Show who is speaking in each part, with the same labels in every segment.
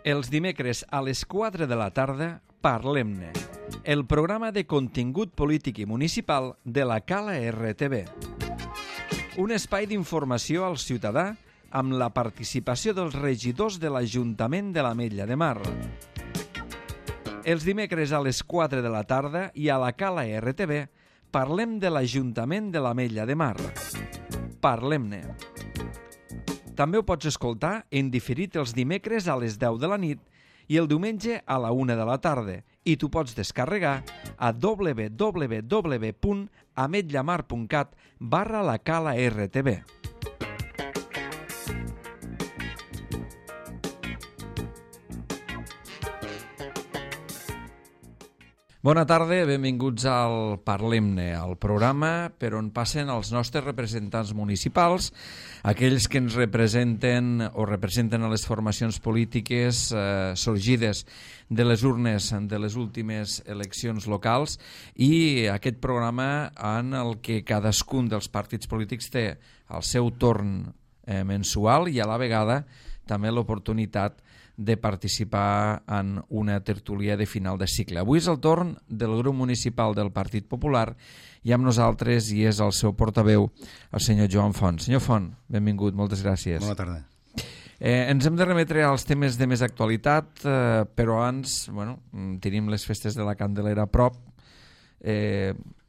Speaker 1: Els dimecres a les 4 de la tarda, Parlem-ne, el programa de contingut polític i municipal de la Cala RTV. Un espai d'informació al ciutadà amb la participació dels regidors de l'Ajuntament de l'Ametlla de Mar. Els dimecres a les 4 de la tarda i a la Cala RTV parlem de l'Ajuntament de l'Ametlla de Mar. Parlem-ne. També ho pots escoltar en diferit els dimecres a les 10 de la nit i el diumenge a la 1 de la tarda i t'ho pots descarregar a www.ametllamar.cat/la Cala RTV. Bona tarda, benvinguts al Parlem-ne, al programa per on passen els nostres representants municipals, aquells que ens representen o representen a les formacions polítiques sorgides de les urnes de les últimes eleccions locals, i aquest programa en el que cadascun dels partits polítics té el seu torn mensual i a la vegada també l'oportunitat de participar en una tertúlia de final de cicle. Avui és el torn del grup municipal del Partit Popular i amb nosaltres hi és el seu portaveu, el senyor Joan Font. Senyor Font, benvingut, moltes gràcies.
Speaker 2: Bona tarda.
Speaker 1: Ens hem de remetre als temes de més actualitat, però abans tenim les festes de la Candelera a prop.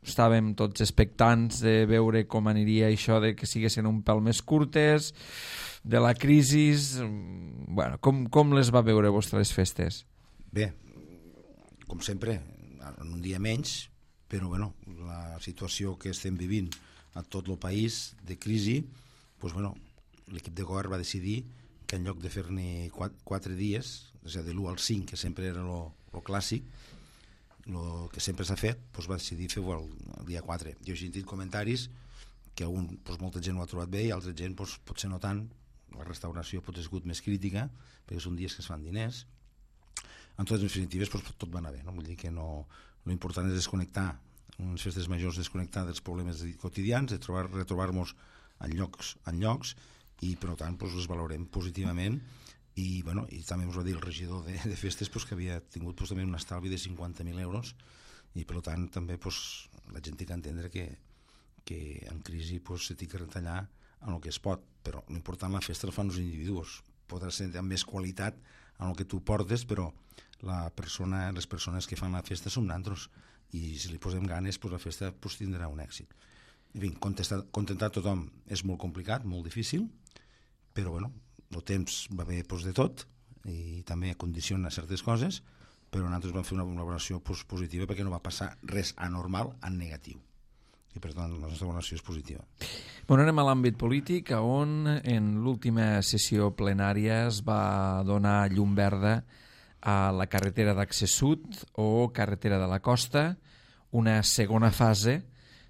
Speaker 1: Estàvem tots expectants de veure com aniria això de que siguessin un pèl més curtes, de la crisi. Com les va veure vostres festes?
Speaker 2: Bé, com sempre, en un dia menys, però la situació que estem vivint a tot el país de crisi, l'equip de govern va decidir que en lloc de fer-ne 4 dies, és a dir, de l'1 al 5, que sempre era el clàssic, el que sempre s'ha fet, va decidir fer-ho el dia 4. Jo he sentit comentaris que molta gent ho ha trobat bé i altra gent potser no tant. La restauració potser ha sigut més crítica perquè són dies que es fan diners. En totes les definitives tot va anar bé, no? Vull dir que l'important és desconnectar, unes festes majors, desconnectar dels problemes quotidians, de retrobar-nos en llocs i per tant les valorem positivament. I també us va dir el regidor de festes que havia tingut també un estalvi de 50.000 euros i per tant també la gent té que entendre que en crisi s'ha de retallar en el que es pot, però l'important la festa la fan els individus, podrà ser amb més qualitat en el que tu portes, però les persones que fan la festa són nosaltres i si li posem ganes la festa tindrà un èxit. En fi, contentar tothom és molt complicat, molt difícil, però el temps va bé de tot i també condiciona certes coses, però nosaltres vam fer una valoració positiva perquè no va passar res anormal en negatiu i per tant la nostra valoració és positiva.
Speaker 1: Anem a l'àmbit polític, on en l'última sessió plenària es va donar llum verda a la carretera d'accés sud o carretera de la costa, una segona fase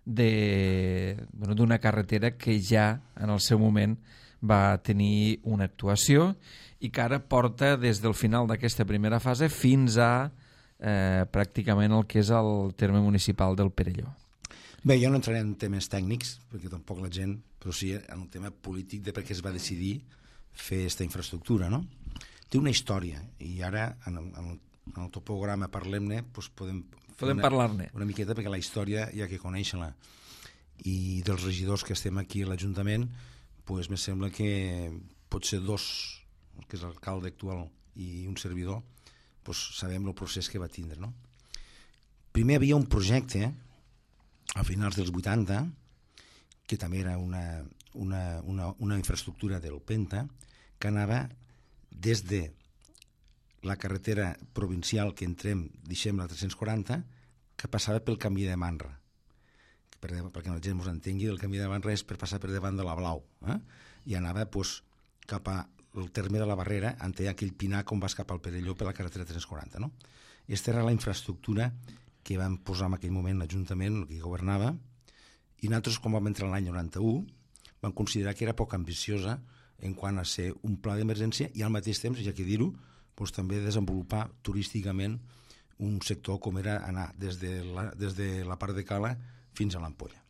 Speaker 1: d'una carretera que ja en el seu moment va tenir una actuació i que ara porta des del final d'aquesta primera fase fins a pràcticament el que és el terme municipal del Perelló.
Speaker 2: Bé, jo no entraré en temes tècnics, perquè tampoc la gent, però sí en un tema polític de per què es va decidir fer aquesta infraestructura, no? Té una història, i ara en el teu programa Parlem-ne podem
Speaker 1: parlar-ne
Speaker 2: una miqueta, perquè la història hi ha que conèixer-la. I dels regidors que estem aquí a l'Ajuntament, me sembla que pot ser dos, que és l'alcalde actual i un servidor, sabem el procés que va tindre, no? Primer havia un projecte a finals dels 80, que també era una infraestructura del Penta, que anava des de la carretera provincial que deixem la 340, que passava pel camí de Manra. Perquè la gent ens entengui, el camí de Manra és per passar per davant de la Blau, i anava cap al terme de la Barrera, on hi ha aquell pinar com vas cap al Perelló per la carretera 340. No? Aquesta era la infraestructura que vam posar en aquell moment l'Ajuntament, el que governava, i nosaltres, com vam entrar l'any 91, vam considerar que era poc ambiciosa en quant a ser un pla d'emergència i al mateix temps, ja que dir-ho, també desenvolupar turísticament un sector com era anar des de la part de Cala fins a l'Ampolla.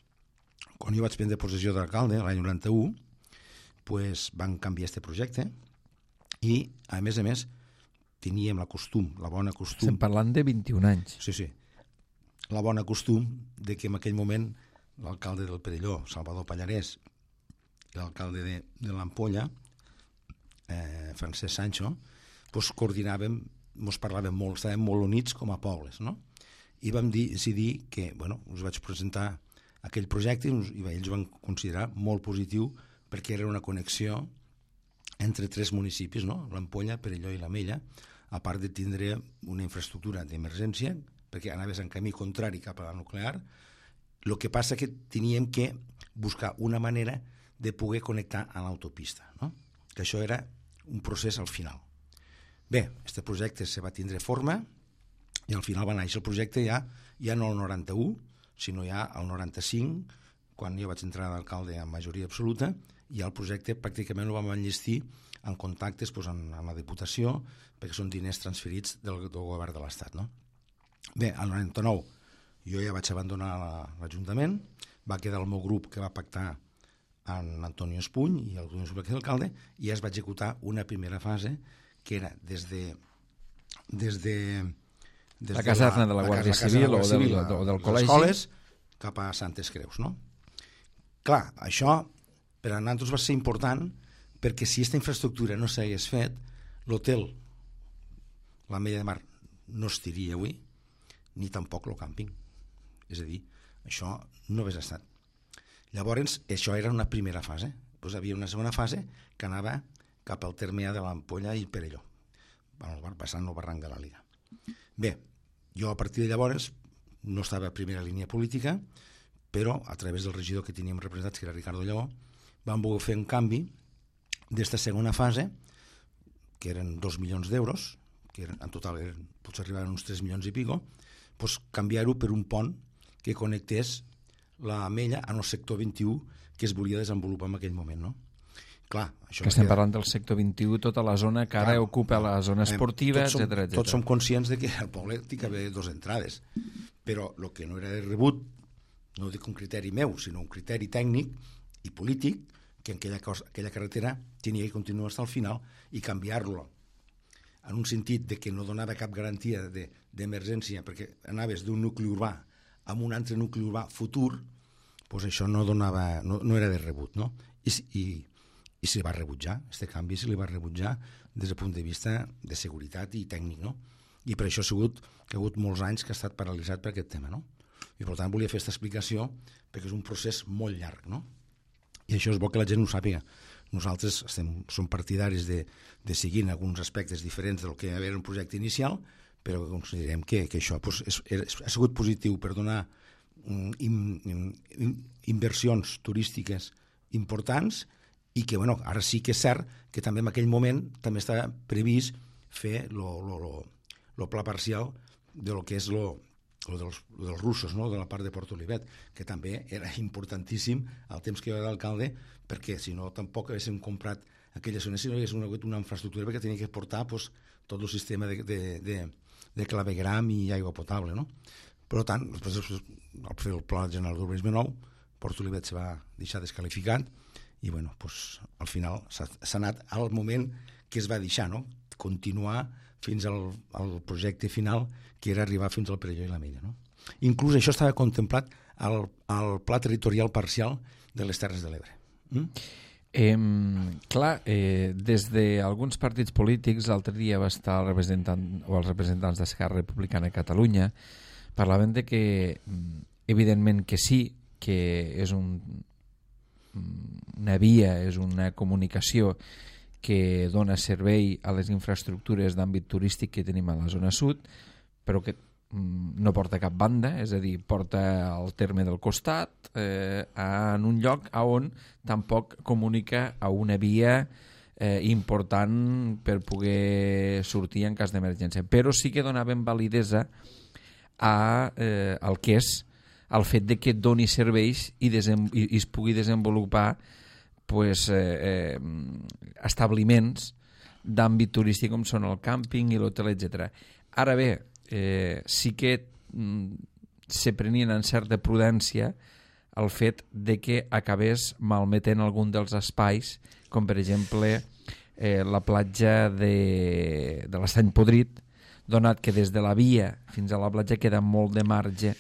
Speaker 2: Quan jo vaig prendre possessió d'alcalde, l'any 91, van canviar aquest projecte i, a més, teníem la bona costum...
Speaker 1: Estem parlant de 21 anys.
Speaker 2: Sí. La bona costum de que en aquell moment l'alcalde del Perelló, Salvador Pallarès, i l'alcalde de l'Ampolla, Francesc Sancho, doncs coordinàvem, ens parlàvem molt, estàvem molt units com a pobles, no? I vam decidir que, us vaig presentar aquell projecte i ells van considerar molt positiu perquè era una connexió entre 3 municipis, no? l'Ampolla, Perelló i l'Amella, a part de tindre una infraestructura d'emergència, perquè anaves en camí contrari cap a la nuclear. El que passa que teníem que buscar una manera de poder connectar a l'autopista, no? Que això era un procés al final. Bé, aquest projecte se va tindre forma i al final va néixer el projecte ja no el 91, sinó ja el 95, quan jo vaig entrar d'alcalde amb majoria absoluta, i el projecte pràcticament el vam enllestir en contactes amb la Diputació, perquè són diners transferits del govern de l'Estat, no? Bé, al 99 jo ja vaig abandonar l'Ajuntament, va quedar el meu grup que va pactar amb Antonio Espuny i el Antonio Espuny que és l'alcalde, i ja es va executar una primera fase que era des
Speaker 1: la caserna de la Guàrdia Civil o del col·legi,
Speaker 2: escoles cap a Santes Creus, no? Clar, això per a nosaltres va ser important perquè si aquesta infraestructura no s'hagués fet, l'hotel, l'Ametlla de Mar, no estiria avui, ni tampoc el càmping. És a dir, això no hagués estat. Llavors, això era una primera fase. Doncs havia una segona fase que anava cap al terme de l'Ampolla i Perelló, passant el barranc de la Liga. Bé, jo a partir de llavors no estava a primera línia política, però a través del regidor que teníem representat, que era Ricardo Lleó, vam voler fer un canvi d'esta segona fase, que eren 2 milions d'euros, que en total potser arribaven uns 3 milions i pico, doncs canviar-ho per un pont que connectés l'Amella en el sector 21 que es volia desenvolupar en aquell moment, no? Clar, això
Speaker 1: que estem parlant del sector 21, tota la zona que ara ocupa la zona esportiva, etc.
Speaker 2: Tots som conscients de que al poble té que haver 2 entrades, però el que no era de rebut, no dic un criteri meu, sinó un criteri tècnic i polític, que aquella carretera tenia que continuar fins al final i canviar-lo en un sentit de que no donava cap garantia d'emergència perquè anaves d'un nucli urbà a un altre nucli urbà futur, doncs això no era de rebut, no? I se li va rebutjar, aquest canvi se li va rebutjar des del punt de vista de seguretat i tècnic, no? I per això ha hagut molts anys que ha estat paralitzat per aquest tema, no? I per tant volia fer aquesta explicació perquè és un procés molt llarg, no? I això és bo que la gent ho sàpiga. Nosaltres som partidaris de seguir en alguns aspectes diferents del que era un projecte inicial, però considerem que això ha sigut positiu per donar inversions turístiques importants i que ara sí que és cert que també en aquell moment també estava previst fer el pla parcial de lo que és dels russos, no? De la part de Port Olivet, que també era importantíssim al temps que jo era d'alcalde, perquè si no tampoc haguéssim comprat aquella zona, si no haguéssim hagut una infraestructura perquè tenia que portar tot el sistema de clavegram i aigua potable, no? Per tant, després al fer el Pla General d'Urbanisme nou, Port Olivet se va deixar descalificat i al final s'ha anat al moment que es va deixar, no? Continuar fins al projecte final, que era arribar fins al Perelló i l'Amella, no? Inclús això estava contemplat al Pla Territorial Parcial de les Terres de l'Ebre.
Speaker 1: Des d'alguns partits polítics, l'altre dia va estar els representants d'Esquerra Republicana de Catalunya, parlaven de que, evidentment que sí, que és una via, és una comunicació que dona servei a les infraestructures d'àmbit turístic que tenim a la zona sud, però que no porta a cap banda, és a dir, porta al terme del costat, en un lloc on tampoc comunica a una via important per poder sortir en cas d'emergència. Però sí que donaven validesa al que és el fet de que doni serveis i es pugui desenvolupar establiments d'àmbit turístic com són el càmping i l'hotel, etc. Ara bé, sí que se prenien en certa prudència el fet de que acabés malmetent algun dels espais, com per exemple la platja de l'Estany Podrit, donat que des de la via fins a la platja queda molt de marge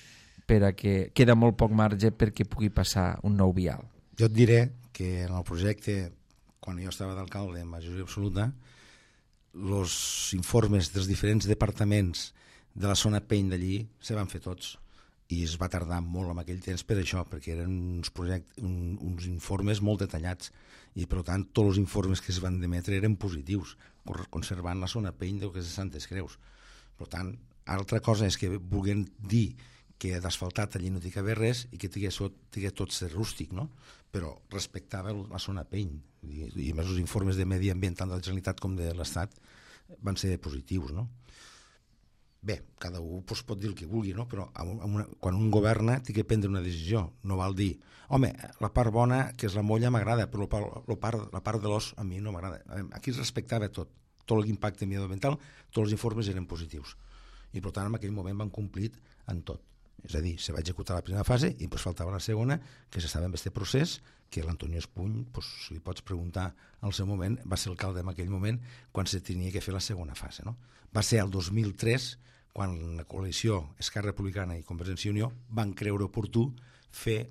Speaker 1: queda molt poc marge perquè pugui passar un nou vial.
Speaker 2: Jo et diré que en el projecte, quan jo estava d'alcalde en majoria absoluta, els informes dels diferents departaments de la zona peny d'allí se van fer tots i es va tardar molt en aquell temps per això, perquè eren uns informes molt detallats i per tant tots els informes que es van demetre eren positius, conservant la zona peny del que és de Santes Creus. Per tant, altra cosa és que vulguin dir que d'asfaltat allí no hi cabia res i que tingués tot ser rústic, no? Però respectava la zona peny i més els informes de medi ambient tant de la Generalitat com de l'Estat van ser positius, no? Bé, cada un pot dir el que vulgui, no? Però quan un governa té que prendre una decisió, no val dir home, la part bona, que és la molla, m'agrada, però la part de l'os a mi no m'agrada. Aquí es respectava tot l'impacte mediambiental, tots els informes eren positius i per tant en aquell moment van complir en tot. És a dir, se va executar la primera fase i doncs faltava la segona, que s'estava en aquest procés, que l'Antonio Espuny, si li pots preguntar al seu moment, va ser alcalde en aquell moment quan se tenia que fer la segona fase, no? Va ser el 2003 quan la coalició Esquerra Republicana i Convergència i Unió van creure oportú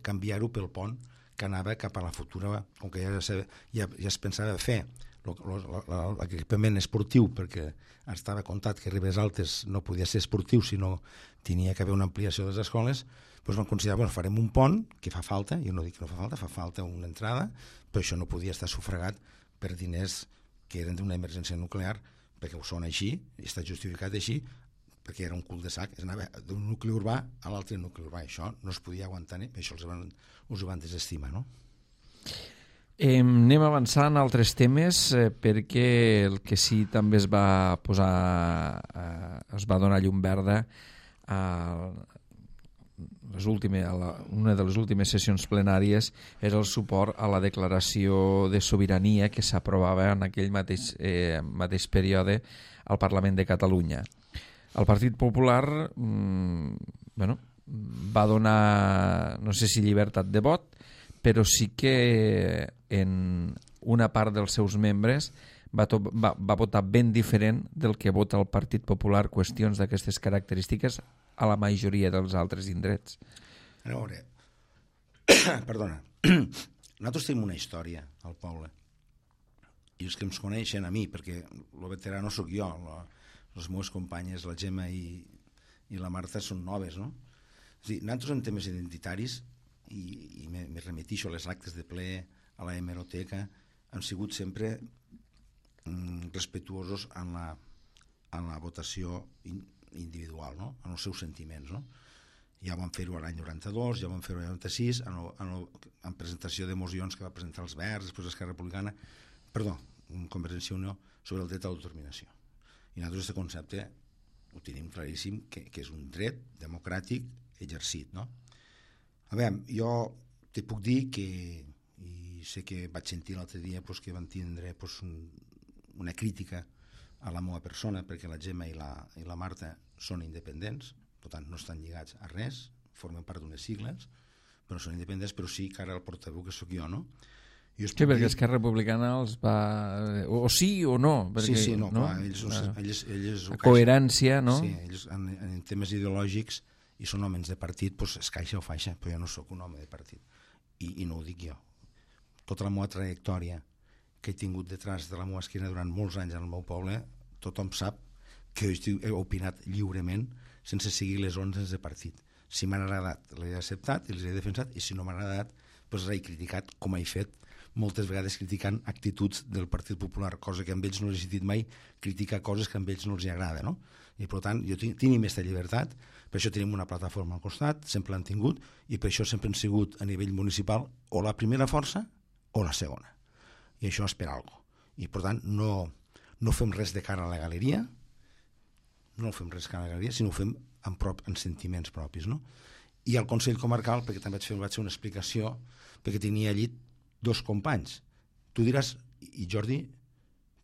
Speaker 2: canviar-ho pel pont que anava cap a la futura, com que ja es pensava fer l'equipament esportiu, perquè estava comptat que Ribes Altes no podia ser esportiu, sinó tenia que haver una ampliació de les escoles, doncs van considerar, farem un pont, que fa falta, jo no dic que no fa falta una entrada, però això no podia estar sufragat per diners que eren d'una emergència nuclear, perquè ho són així, i està justificat així, perquè era un cul de sac, anava d'un nucli urbà a l'altre nucli urbà, això no es podia aguantar, això els ho van desestimar, no?
Speaker 1: Anem avançant a altres temes perquè el que sí també es va donar llum verda a una de les últimes sessions plenàries és el suport a la declaració de sobirania que s'aprovava en aquell mateix període al Parlament de Catalunya. El Partit Popular va donar, no sé si llibertat de vot, però sí que en una part dels seus membres va votar ben diferent del que vota el Partit Popular qüestions d'aquestes característiques a la majoria dels altres indrets.
Speaker 2: A veure, perdona, nosaltres tenim una història al poble i els que ens coneixen a mi, perquè el veterà no sóc jo, les meves companyes, la Gemma i la Marta són noves, no? És dir, nosaltres en temes identitaris i me remetixo a les actes de ple, a la hemeroteca, han sigut sempre respectuosos en la votació individual, no? En els seus sentiments, no? Ja vam fer-ho l'any 92, ja vam fer-ho l'any 96, en presentació de mocions que va presentar els Verds, després Esquerra Republicana, Convergència i Unió, sobre el dret a l'autodeterminació. I nosaltres aquest concepte ho tenim claríssim, que és un dret democràtic exercit, no? A veure, jo te puc dir que, i sé que vaig sentir l'altre dia que van tindre una crítica a la meva persona, perquè la Gemma i la Marta són independents, per tant no estan lligats a res, formen part d'unes sigles, però són independents, però sí que ara el portaveu que sóc jo, no?
Speaker 1: Sí, perquè Esquerra Republicana els va... O sí o no. Perquè,
Speaker 2: sí, no, clar, ells
Speaker 1: la coherència, no?
Speaker 2: Sí, ells en temes ideològics i són homes de partit, doncs es caixa o faixa, però jo no sóc un home de partit. I no ho dic jo. Tota la meva trajectòria que he tingut detrás de la meva esquena durant molts anys en el meu poble, tothom sap que he opinat lliurement sense seguir les ordres de partit. Si m'han agradat, l'he acceptat i les he defensat, i si no m'han agradat, doncs l'he criticat, com he fet moltes vegades criticant actituds del Partit Popular, cosa que amb ells no he sentit mai, criticar coses que amb ells no els agrada, no? I per tant, jo tenim aquesta llibertat, per això tenim una plataforma al costat, sempre l'han tingut, i per això sempre han sigut a nivell municipal o la primera força o la segona. I això és per alguna cosa. I per tant, no fem res de cara a la galeria, sinó ho fem en sentiments propis, no? I al Consell Comarcal, perquè també vaig fer una explicació, perquè tenia allí dos companys. Tu diràs, i Jordi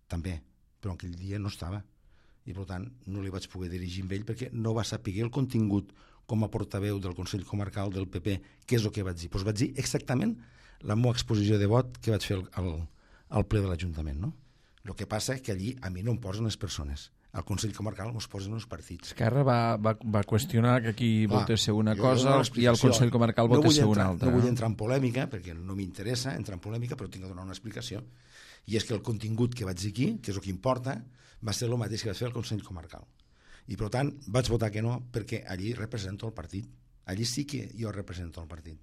Speaker 2: també, però aquell dia no estava, i per tant no li vaig poder dirigir amb ell perquè no va saber el contingut com a portaveu del Consell Comarcal del PP, què és el que vaig dir. Doncs vaig dir exactament la meva exposició de vot que vaig fer al ple de l'Ajuntament, no? El que passa és que allí a mi no em posen les persones. Al Consell Comarcal ens posen els partits.
Speaker 1: Esquerra va qüestionar que aquí votés una cosa i el Consell Comarcal votés una altra.
Speaker 2: No vull entrar en polèmica, perquè no m'interessa entrar en polèmica, però tinc que donar una explicació. I és que el contingut que vaig dir aquí, que és el que importa, va ser el mateix que vaig fer al Consell Comarcal. I, per tant, vaig votar que no, perquè allí represento el partit. Allí sí que jo represento el partit.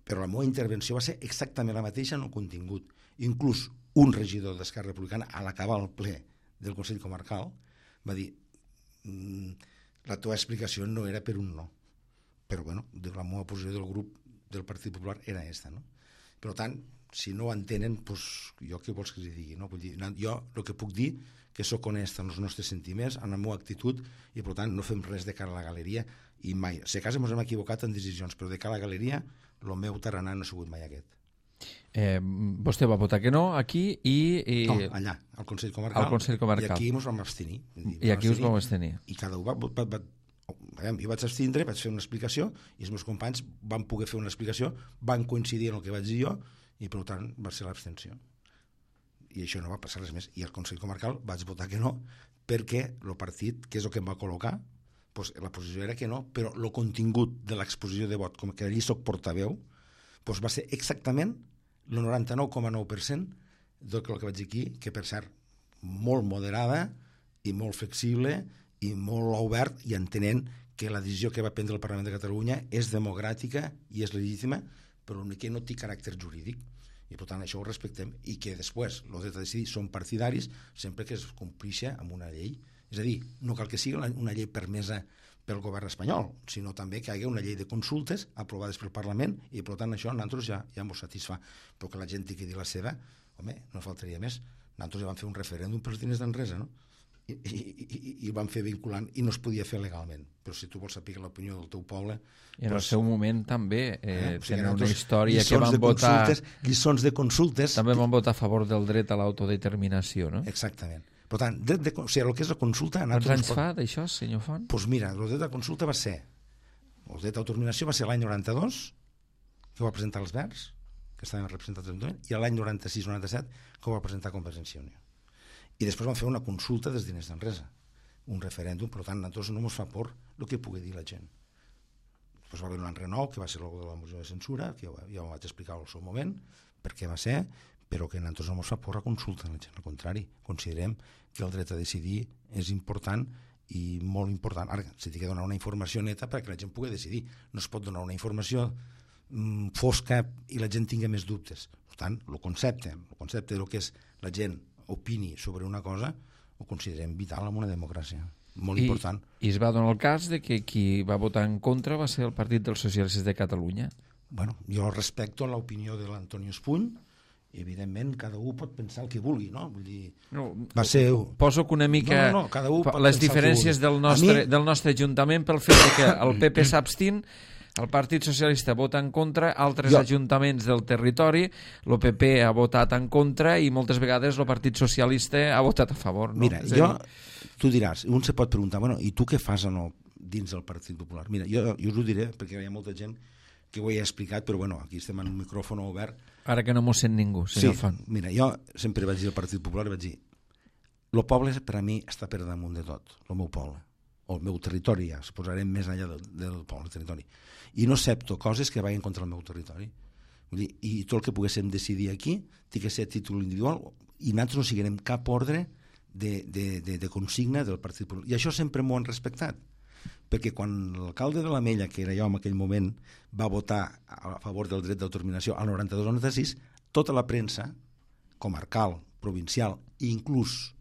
Speaker 2: Però la meva intervenció va ser exactament la mateixa en el contingut. Inclús un regidor d'Esquerra Republicana, a l'acabar el ple del Consell Comarcal, va dir la teva explicació no era per un no. Però, bueno, la meva posició del grup del Partit Popular era aquesta, no? Per tant, si no ho entenen, doncs, jo què vols que els digui, no? Vull dir, jo el que puc dir que sóc honest en els nostres sentiments, en la meva actitud, i per tant no fem res de cara a la galeria, i mai. Si a casa ens hem equivocat en decisions, però de cara a la galeria, el meu tarannà no ha sigut mai aquest.
Speaker 1: Vostè va votar que no aquí i...
Speaker 2: No, allà, al Consell Comarcal.
Speaker 1: Al Consell Comarcal.
Speaker 2: I aquí ens vam abstenir.
Speaker 1: I aquí us vam abstenir.
Speaker 2: I cada un jo vaig abstindre, vaig fer una explicació, i els meus companys van poder fer una explicació, van coincidir en el que vaig dir jo, i per tant va ser l'abstenció. I això no va passar res més. I al Consell Comarcal vaig votar que no, perquè el partit, que és el que em va col·locar, doncs la posició era que no, però el contingut de l'exposició de vot, com que allí soc portaveu, doncs va ser exactament el 99,9% del que vaig dir aquí, que per cert, molt moderada i molt flexible i molt obert, i entenent que la decisió que va prendre el Parlament de Catalunya és democràtica i és legítima, però que no té caràcter jurídic. I per tant això ho respectem, i que després el dret a decidir són partidaris sempre que es complixi amb una llei. És a dir, no cal que sigui una llei permesa pel govern espanyol, sinó també que hi hagi una llei de consultes aprovades pel Parlament, i per tant això a nosaltres ja ens satisfà. Però que la gent tingui dir la seva, home, no faltaria més. Nosaltres ja vam fer un referèndum pels diners d'Enresa, no? I vam fer vinculant, i no es podia fer legalment. Però si tu vols saber l'opinió del teu poble...
Speaker 1: I en el seu moment també tenen una història que van votar...
Speaker 2: Lliçons de consultes...
Speaker 1: També van votar a favor del dret a l'autodeterminació, no?
Speaker 2: Exactament. Per tant, el que és la consulta...
Speaker 1: Quants anys fa d'això, senyor Font?
Speaker 2: Doncs mira, el dret a consulta va ser... El dret d'autodeterminació va ser l'any 92, que ho va presentar els Verds, que estaven representats en l'Ajuntament, i l'any 96-97, que ho va presentar Convergència i Unió. I després van fer una consulta dels diners d'Enresa, un referèndum. Per tant, a nosaltres no ens fa por el que pugui dir la gent. Després va haver un renou, que va ser el de la moció de censura, que ja ho vaig explicar al seu moment, per què va ser, però que a nosaltres no ens fa por la consulta de la gent. Al contrari, considerem que el dret a decidir és important i molt important. Ara, s'ha de donar una informació neta perquè la gent pugui decidir. No es pot donar una informació fosca i la gent tingui més dubtes. Per tant, el concepte del que és la gent opini sobre una cosa, ho considerem vital en una democràcia. Molt important.
Speaker 1: I es va donar el cas de que qui va votar en contra va ser el Partit dels Socialistes de Catalunya.
Speaker 2: Bueno, jo respecto l'opinió de l'Antonio Espuny, i evidentment cada un pot pensar el que vulgui, no? Vull dir, va ser...
Speaker 1: Poso que una mica
Speaker 2: cada un pot
Speaker 1: les diferències del nostre Ajuntament pel fet que el PP s'abstint, el Partit Socialista vota en contra, altres ajuntaments del territori, el PP ha votat en contra i moltes vegades el Partit Socialista ha votat a favor. No?
Speaker 2: Mira, tu diràs, un se pot preguntar, bueno, i tu què fas dins del Partit Popular? Mira, jo us ho diré, perquè hi ha molta gent que ho he explicat, però bueno, aquí estem en un micròfon obert.
Speaker 1: Ara que no m'ho sent ningú, senyor Font.
Speaker 2: Mira, jo sempre vaig dir al Partit Popular, vaig dir, el poble per a mi està per damunt de tot, el meu poble, o el meu territori, ja, es posarem més enllà del poble, el territori. I no accepto coses que vagin contra el meu territori. Vull dir, i tot el que poguéssim decidir aquí té que ser a títol individual, i nosaltres no seguirem cap ordre de consigna del Partit Popular. I això sempre m'ho han respectat, perquè quan l'alcalde de l'Ametlla, que era jo en aquell moment, va votar a favor del dret d'autodeterminació al 92-96, tota la premsa comarcal, provincial i inclús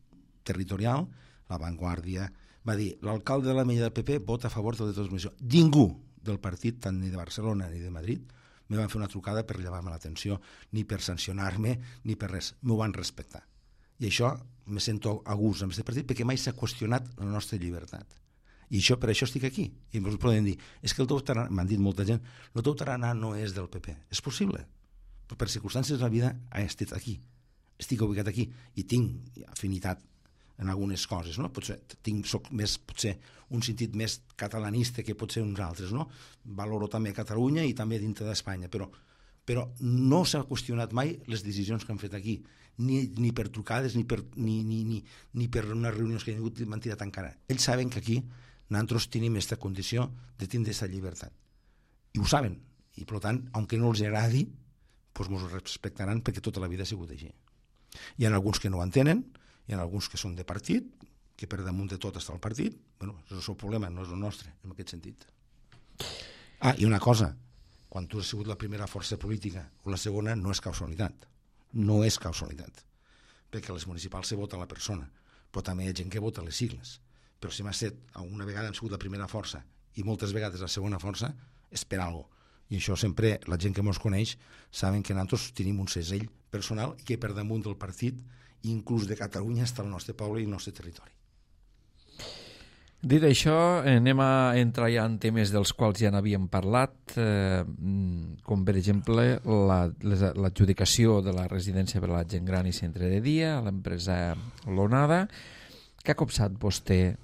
Speaker 2: territorial, La Vanguardia, va dir l'alcalde de l'Ametlla del PP vota a favor del dret d'autodeterminació. Ningú del partit, tant ni de Barcelona ni de Madrid, me van fer una trucada per llevar-me l'atenció, ni per sancionar-me, ni per res. M'ho van respectar. I això me sento a gust amb aquest partit perquè mai s'ha qüestionat la nostra llibertat. I això, per això estic aquí. I ens poden dir, és que el teu tarannà, m'han dit molta gent, el teu tarannà no és del PP. És possible. Però per circumstàncies de la vida he estat aquí. Estic ubicat aquí i tinc afinitat en algunes coses, no? Soc més, potser, un sentit més catalanista que potser uns altres, no? Valoro també Catalunya i també dintre d'Espanya, però però no s'ha qüestionat mai les decisions que han fet aquí, ni per trucades ni per unes reunions que han hagut de mentida tancada. Ells saben que aquí nosaltres tenim aquesta condició de tindre aquesta llibertat. I ho saben. I, per tant, aunque no els agradi, doncs ens ho respectaran perquè tota la vida ha sigut així. Hi ha alguns que no ho entenen, hi ha alguns que són de partit, que per damunt de tot està el partit. Bueno, és el seu problema, no és el nostre, en aquest sentit. I una cosa, quan tu has sigut la primera força política o la segona, no és casualitat. No és casualitat. Perquè a les municipals se vota la persona, però també hi ha gent que vota les sigles. Però si m'ha set, una vegada hem sigut la primera força i moltes vegades la segona força, és per alguna cosa. I això sempre, la gent que ens coneix, saben que nosaltres tenim un segell personal i que per damunt del partit, inclús de Catalunya, està el nostre poble i el nostre territori.
Speaker 1: Dit això, anem a entrar ja en temes dels quals ja n'havíem parlat, com per exemple l'adjudicació de la residència per a la gent gran i centre de dia a l'empresa Lonada. Què ha copsat vostè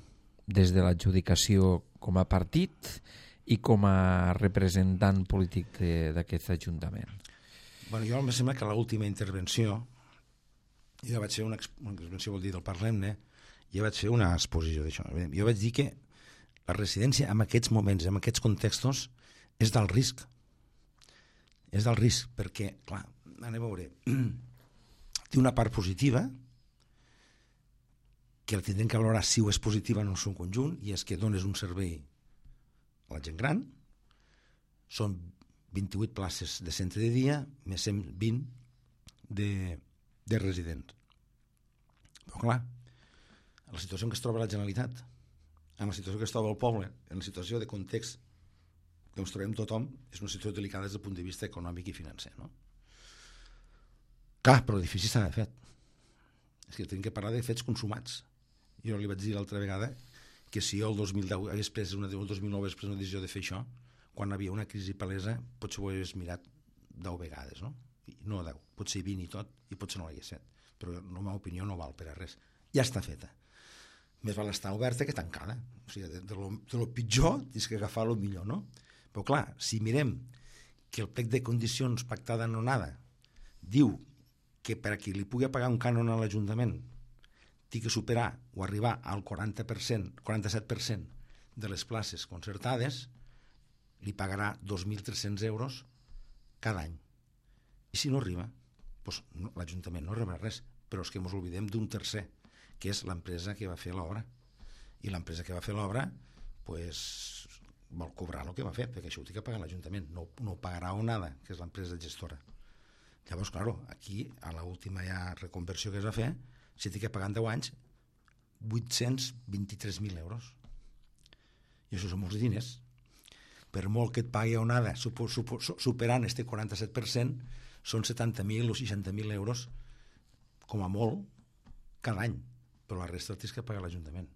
Speaker 1: des de l'adjudicació com a partit i com a representant polític d'aquest ajuntament?
Speaker 2: Bueno, jo em sembla que l'última intervenció, jo vaig fer una intervenció, vol dir, del Parlem-ne, jo vaig fer una exposició d'això. Jo vaig dir que la residència en aquests moments, en aquests contextos, és del risc. És del risc, perquè, clar, anem a veure, té una part positiva, que la tindrem que valorar si ho és positiva en el seu conjunt, i és que dones un servei a la gent gran, són 28 places de centre de dia, més 120 de residents. Però clar, en la situació en què es troba la Generalitat, en la situació que es troba el poble, en la situació de context que ens trobem tothom, és una situació delicada des del punt de vista econòmic i financer, no? Clar, però l'edifici s'ha fet. És que tenim que parlar de fets consumats. Jo li vaig dir l'altra vegada que si jo el 2010 hagués pres el 2009 hagués pres una decisió de fer això, quan hi havia una crisi palesa, potser ho hagués mirat 10 vegades, no? No 10, potser 20 i tot, i potser no l'hagués fet. Però la meva opinió no val per a res. Ja està feta. Més val estar oberta que tancada. O sigui, de lo pitjor tens que agafar lo millor, no? Però clar, si mirem que el plec de condicions pactada en Onada diu que per a qui li pugui pagar un cànon a l'Ajuntament té que superar o arribar al 40%, 47% de les places concertades, li pagarà 2.300 euros cada any. I si no arriba, doncs l'Ajuntament no rebrà res, però és que ens oblidem d'un tercer, que és l'empresa que va fer l'obra. I l'empresa que va fer l'obra vol cobrar el que va fer, perquè això ho té que pagar l'Ajuntament, no ho pagarà Onada, que és l'empresa gestora. Llavors, clar, aquí, a l'última reconversió que es va fer, s'hi té que pagar en 10 anys 823.000 euros. I això són molts diners. Per molt que et pagui Onada superant este 47%, són 70.000 o 60.000 euros com a molt cada any, però la resta el tens que pagar l'Ajuntament.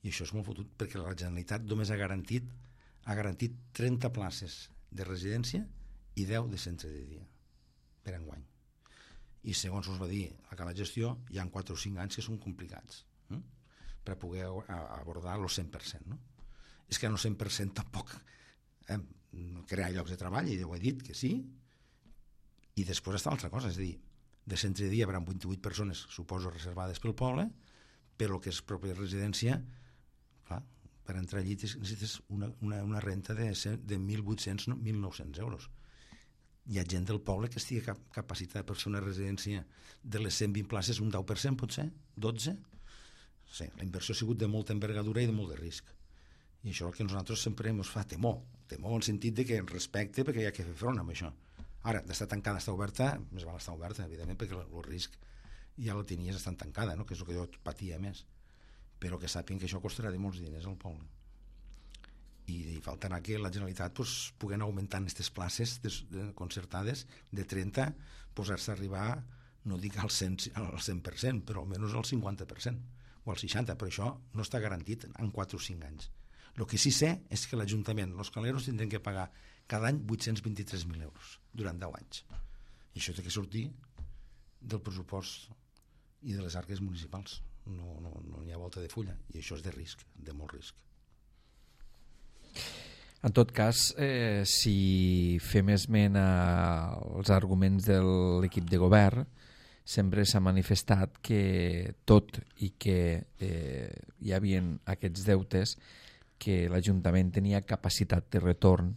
Speaker 2: I això és molt fotut, perquè la Generalitat només ha garantit 30 places de residència i 10 de centre de dia per enguany. I segons us va dir a la gestió, hi ha 4 o 5 anys que són complicats per poder abordar el 100%. No? És que en el 100% tampoc crear llocs de treball, i ho he dit que sí, i després està l'altra cosa, és a dir, de centre de dia hi haurà 28 persones, suposo, reservades pel poble, però el que és pròpia residència, clar, per entrar allí necessites una renta de 1.800, 1.900 euros. Hi ha gent del poble que estigui capacitada per fer una residència de les 120 places, un 10%, potser, 12%. Sí, la inversió ha sigut de molta envergadura i de molt de risc. I això és el que nosaltres sempre ens fa temor en el sentit de que respecte, perquè hi ha que fer front amb això. Ara, d'estar tancada, estar oberta, més val estar oberta, evidentment, perquè el risc ja el tenies estant tancada, no? Que és el que jo patia més. Però que sàpiguen que això costarà de molts diners al poble. I faltarà que la Generalitat pugui augmentar aquestes places concertades de 30, posar-se a arribar, no dic al 100%, però almenys al 50% o al 60%, però això no està garantit en 4 o 5 anys. El que sí sé és que l'Ajuntament, els caleros, tindran que pagar cada any 823.000 euros durant 10 anys. I això té que sortir del pressupost i de les arques municipals. No hi ha volta de fulla. I això és de risc, de molt risc.
Speaker 1: En tot cas, si fem esment als arguments de l'equip de govern, sempre s'ha manifestat que tot i que hi havia aquests deutes, que l'Ajuntament tenia capacitat de retorn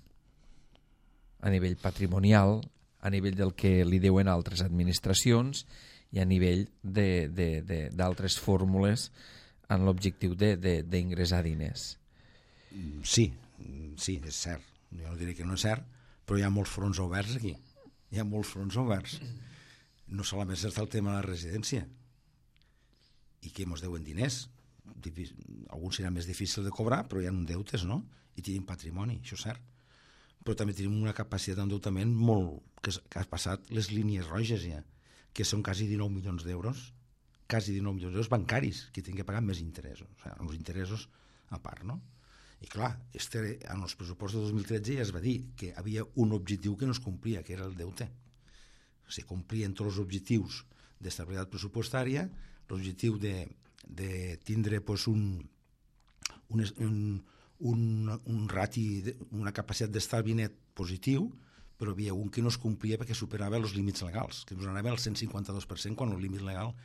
Speaker 1: a nivell patrimonial, a nivell del que li deuen altres administracions i a nivell d'altres fórmules en l'objectiu d'ingressar diners.
Speaker 2: Sí, és cert. Jo no diré que no és cert, però hi ha molts fronts oberts aquí. Hi ha molts fronts oberts. No solament és el tema de la residència i que ens deuen diners. Alguns serà més difícil de cobrar, però hi ha deutes, no? I tenim patrimoni, això és cert. Però també tenim una capacitat d'endeutament molt... que ha passat les línies roges ja, que són quasi 19 milions d'euros, quasi 19 milions d'euros bancaris, que tenen que pagar més interessos, o sigui, els interessos a part, no? I clar, en els pressupostos de 2013 ja es va dir que havia un objectiu que no es complia, que era el deute. Se complien tots els objectius d'estabilitat pressupostària, l'objectiu de tindre pues, un rati, una capacitat d'estalvi net positiu, però hi havia un que no es complia perquè superava els límits legals, que ens anava al 152% quan el límit legal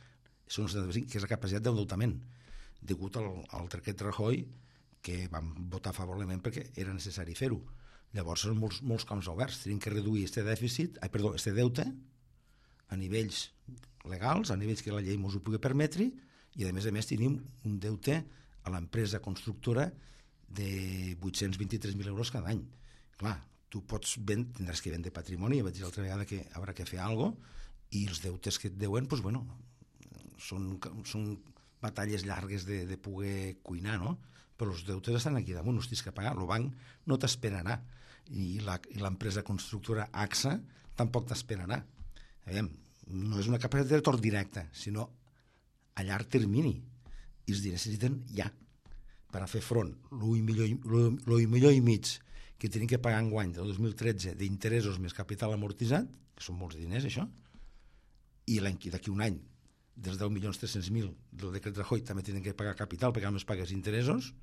Speaker 2: són el 75%, que és la capacitat d'endeutament, degut al decret Rajoy, que vam votar favorablement perquè era necessari fer-ho. Llavors són molts camps oberts, tenim que reduir este deute a nivells legals, a nivells que la llei ens ho pugui permetre, i a més tenim un deute a l'empresa constructora de 823.000 euros cada any. Clar, tu tindràs que vendre patrimoni, ja vaig dir l'altra vegada que haurà que fer alguna cosa, i els deutes que et deuen, doncs, bueno, són batalles llargues de poder cuinar, no? Però els deutes estan aquí damunt, els tens que pagar, el banc no t'esperarà, i l'empresa constructora AXA tampoc t'esperarà. No és una capacitat de retorn directe, sinó a llarg termini, i els diners necessiten ja per a fer front l'1,5 milió que tenim que pagar enguany del 2013 d'interessos més capital amortitzat, que són molts diners això, i d'aquí un any dels 10.300.000 del decret Rajoy també tenen que pagar capital perquè només pagues interessos,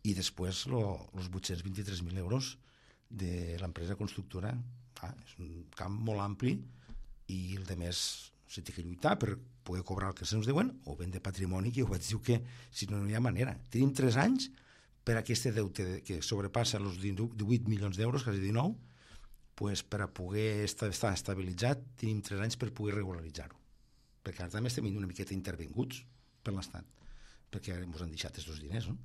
Speaker 2: i després els 823.000 euros de l'empresa constructora. És un camp molt ampli, i el de més se té que lluitar per poder cobrar el que se'ns deuen, o vendre patrimoni, que jo vaig dir que si no hi ha manera. Tenim 3 anys per a aquest deute que sobrepassa els 18 milions d'euros, quasi 19, pues per a poder estar estabilitzat tenim 3 anys per poder regularitzar-ho. Perquè ara també estem una miqueta intervinguts per l'Estat, perquè ens han deixat aquests diners, no?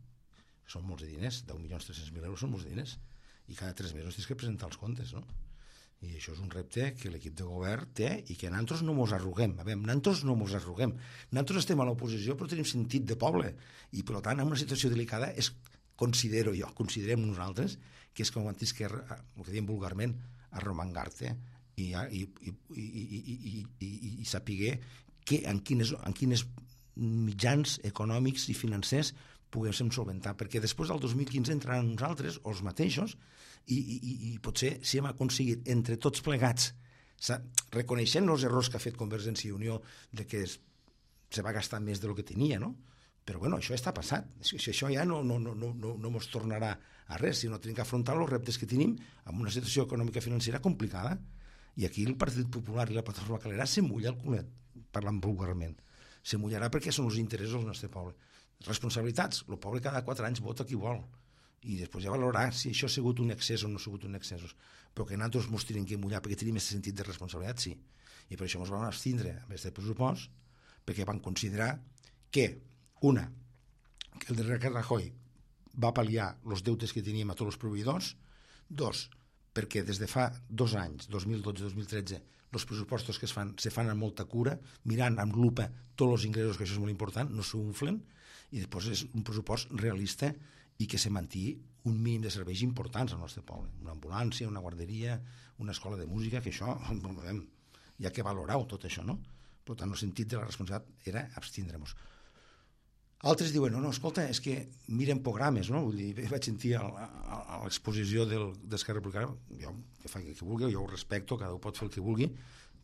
Speaker 2: Són molts de diners, 10.300.000 euros són molts de diners, i cada 3 mesos tens que presentar els comptes, no? I això és un repte que l'equip de govern té i que nosaltres no ens arruguem. Nosaltres no ens arruguem. Nosaltres estem a l'oposició però tenim sentit de poble, i per tant en una situació delicada considerem nosaltres que és com antes que, el que diem vulgarment, arromangar-te i saber en quines mitjans econòmics i financers poguéssim solventar, perquè després del 2015 entraran uns altres, o els mateixos, i potser si hem aconseguit entre tots plegats, reconeixent els errors que ha fet Convergència i Unió de que se va gastar més del que tenia, no? Però bueno, això està passat, això ja no ens tornarà a res, sinó tenim que afrontar els reptes que tenim amb una situació econòmica financera complicada, i aquí el Partit Popular i la Plataforma Calera se mulla el culet, parlant vulgarment, se mullarà perquè són els interessos del nostre poble. Responsabilitats, el poble cada 4 anys vota qui vol, i després ja valorarà si això ha sigut un excés o no ha sigut un excés, però que nosaltres ens tenim que mullar perquè tenim aquest sentit de responsabilitat, sí, i per això ens vam abstindre amb aquest pressupost, perquè vam considerar que que el decret Rajoy va pal·liar els deutes que teníem a tots els proveïdors, 2, perquè des de fa 2 anys, 2012-2013, els pressupostos que se fan amb molta cura, mirant amb lupa tots els ingressos, que això és molt important, no s'unflen, i després és un pressupost realista i que se mantingui un mínim de serveis importants al nostre poble. Una ambulància, una guarderia, una escola de música, que això, hi ha que valorar tot això, no? Per tant, el sentit de la responsabilitat era abstindre-nos. Altres diuen, no, escolta, és que miren programes, no? Vull dir, vaig sentir a l'exposició d'Esquerra Republicana, jo, que fa que vulgui, jo ho respecto, cada un pot fer el que vulgui,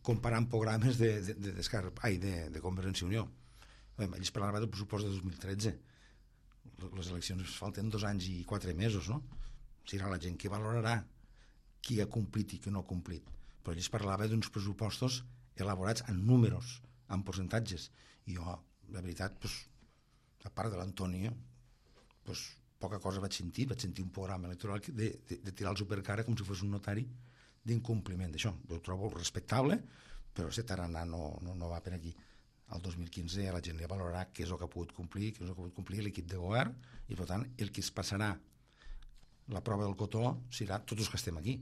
Speaker 2: comparant programes de Convergència i Unió. Ells parlaven del pressupost de 2013. Les eleccions falten 2 anys i 4 mesos, no? serà la gent que valorarà qui ha complit i qui no ha complit. Però ell es parlava d'uns pressupostos elaborats en números, en percentatges. I jo, la veritat, a part de l'Antonio, poca cosa vaig sentir un programa electoral de tirar-los per cara com si fos un notari d'incompliment d'això. Ho trobo respectable, però aquest tarannà no va per aquí. El 2015 la gent li valorarà què és el que ha pogut complir, què és el que ha pogut complir l'equip de govern, i per tant el que es passarà la prova del cotó serà tots els que estem aquí.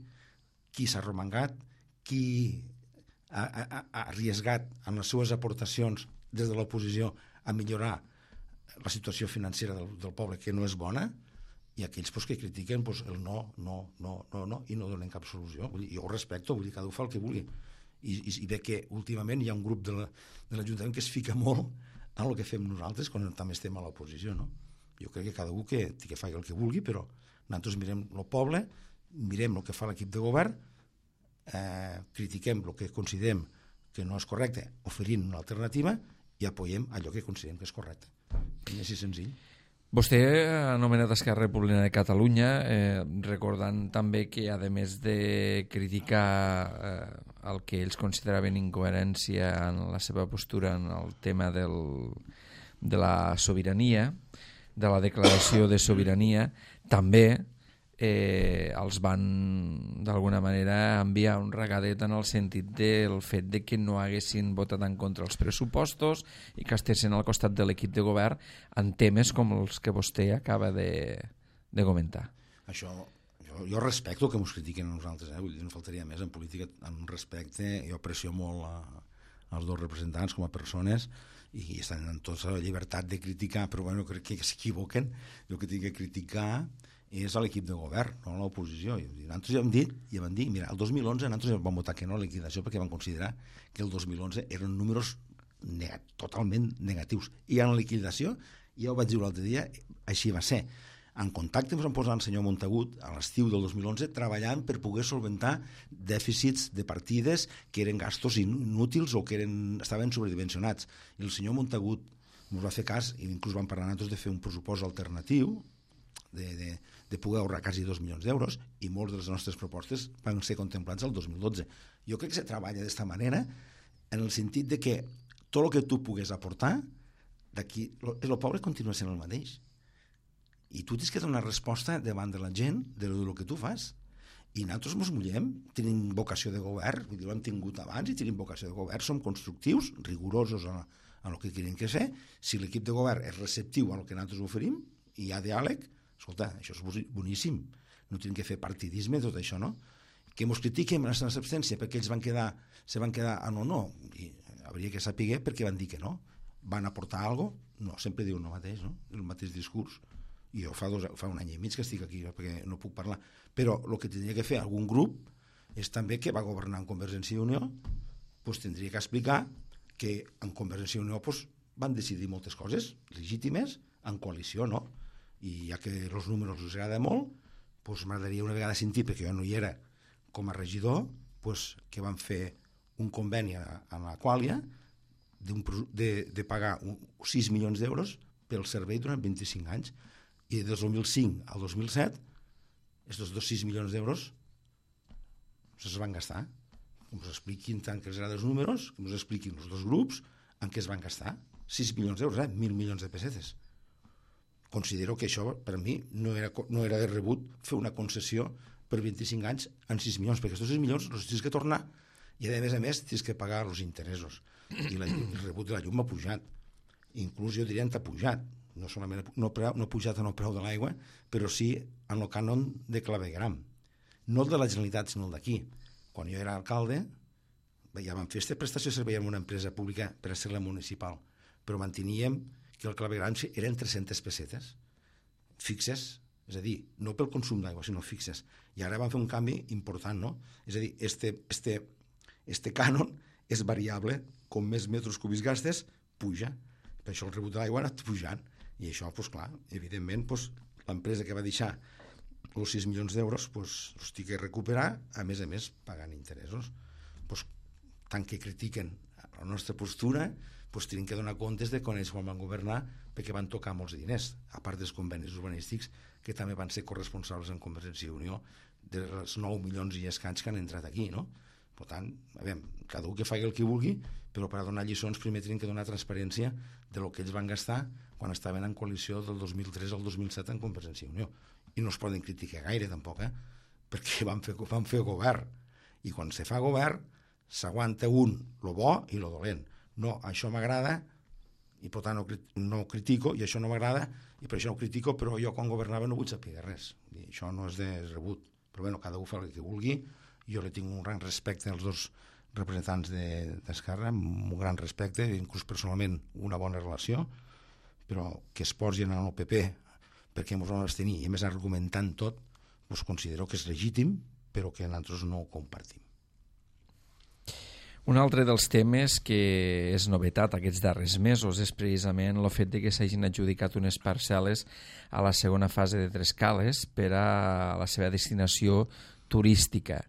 Speaker 2: Qui s'ha romangat, qui ha arriesgat en les seves aportacions des de l'oposició a millorar la situació financera del poble, que no és bona, i aquells que critiquen el no, i no donen cap solució. Jo ho respecto, cada un fa el que vulgui. I ve que últimament hi ha un grup de l'Ajuntament que es fica molt en el que fem nosaltres quan també estem a l'oposició, no? Jo crec que cada un que faci el que vulgui, però nosaltres mirem el poble, mirem el que fa l'equip de govern, critiquem el que considerem que no és correcte, oferint una alternativa, i apoyem allò que considerem que és correcte. I així senzill.
Speaker 1: Vostè ha anomenat Esquerra Republicana de Catalunya, recordant també que, a més de criticar el que ells consideraven incoherència en la seva postura en el tema de la sobirania, de la declaració de sobirania, també els van d'alguna manera enviar un regadet en el sentit del fet de que no haguessin votat en contra els pressupostos i que estessin al costat de l'equip de govern en temes com els que vostè acaba de comentar.
Speaker 2: Això, jo respecto que ens critiquen a nosaltres, vull dir, no faltaria més en política, en respecte. Jo aprecio molt els dos representants com a persones i estan en tota la llibertat de criticar, però bueno, crec que s'equivoquen. El que tinc que criticar és a l'equip de govern, no a l'oposició. Nosaltres ja hem dit, mira, el 2011 nosaltres vam votar que no a la liquidació perquè vam considerar que el 2011 eren números totalment negatius. I en la liquidació, ja ho vaig dir l'altre dia, així va ser. En contacte ens vam posar el senyor Montagut a l'estiu del 2011 treballant per poder solventar dèficits de partides que eren gastos inútils o que estaven sobredimensionats. I el senyor Montagut ens va fer cas i inclús vam parlar nosaltres de fer un pressupost alternatiu de poder ahorrar quasi 2 milions d'euros, i molts de les nostres propostes van ser contemplats el 2012. Jo crec que se treballa d'esta manera en el sentit de que tot el que tu pugues aportar d'aquí, el poble continua sent el mateix. I tu tens que donar resposta davant de la gent del que tu fas. I nosaltres ens mullem, tenim vocació de govern, ho hem tingut abans i tenim vocació de govern, som constructius, rigorosos en el que querem que ser. Si l'equip de govern és receptiu al que nosaltres oferim i hi ha diàleg, escolta, això és boníssim. No tenim que fer partidisme, tot això, no? Que ens critiquem la nostra absència perquè ells se van quedar no. I hauria que saber per què van dir que no. Van aportar alguna cosa? No, sempre diuen el mateix, no? El mateix discurs. I jo fa un any i mig que estic aquí perquè no puc parlar. Però el que tindria que fer algun grup és també que va governar en Convergència i Unió, doncs tindria que explicar que en Convergència i Unió van decidir moltes coses legítimes, en coalició, no? I ja que els números els agrada molt, doncs m'agradaria una vegada sentir, perquè jo no hi era com a regidor, doncs que van fer un conveni a la Quàlia de pagar 6 milions d'euros pel servei durant 25 anys. I des del 2005 al 2007, aquests 6 milions d'euros es van gastar. Que ens expliquin tant que els agrada els números, que ens expliquin els dos grups en què es van gastar. 6 milions d'euros, 1.000 milions de pessetes. Considero que això, per mi, no era de rebut fer una concessió per 25 anys en 6 milions, perquè aquests 6 milions els tens que tornar i, a més, tens que pagar els interessos. I el rebut de la llum ha pujat. Inclús jo diria que ha pujat. No ha pujat en el preu de l'aigua, però sí en el cànon de clavegram. No el de la Generalitat, sinó el d'aquí. Quan jo era alcalde, ja vam fer aquesta prestació de servei en una empresa pública per a ser la municipal, però manteníem que el clavegram eren 300 pessetes fixes, és a dir, no pel consum d'aigua, sinó fixes. I ara van fer un canvi important, no? És a dir, este cànon és variable, com més metres cúbics gastes, puja. Per això el rebut de l'aigua ha anat pujant. I això, doncs clar, evidentment, l'empresa que va deixar els 6 milions d'euros els té que recuperar, a més, pagant interessos. Tant que critiquen la nostra postura, doncs tenen que donar comptes de quan ells van governar, perquè van tocar molts diners, a part dels convenis urbanístics, que també van ser corresponsables en Convergència i Unió dels 9 milions i escaig que han entrat aquí, no? Per tant, cada un que faci el que vulgui, però per a donar lliçons primer tenen que donar transparència de lo que ells van gastar quan estaven en coalició del 2003 al 2007 en Convergència i Unió. I no es poden criticar gaire, tampoc, perquè van fer govern. I quan se fa govern, s'aguanta lo bo i lo dolent. No, això m'agrada, i per tant no critico, i això no m'agrada, i per això no critico, però jo quan governava no vull saber res. I això no és de rebut. Però bueno, cada un fa el que vulgui. Jo li tinc un gran respecte als dos representants d'Esquerra, un gran respecte, inclús personalment una bona relació, però que es posin en el PP perquè ens vam abstenir, i a més argumentant tot, doncs considero que és legítim, però que nosaltres no ho compartim.
Speaker 1: Un altre dels temes que és novetat aquests darrers mesos és precisament el fet de que s'hagin adjudicat unes parcel·les a la segona fase de Trescales per a la seva destinació turística,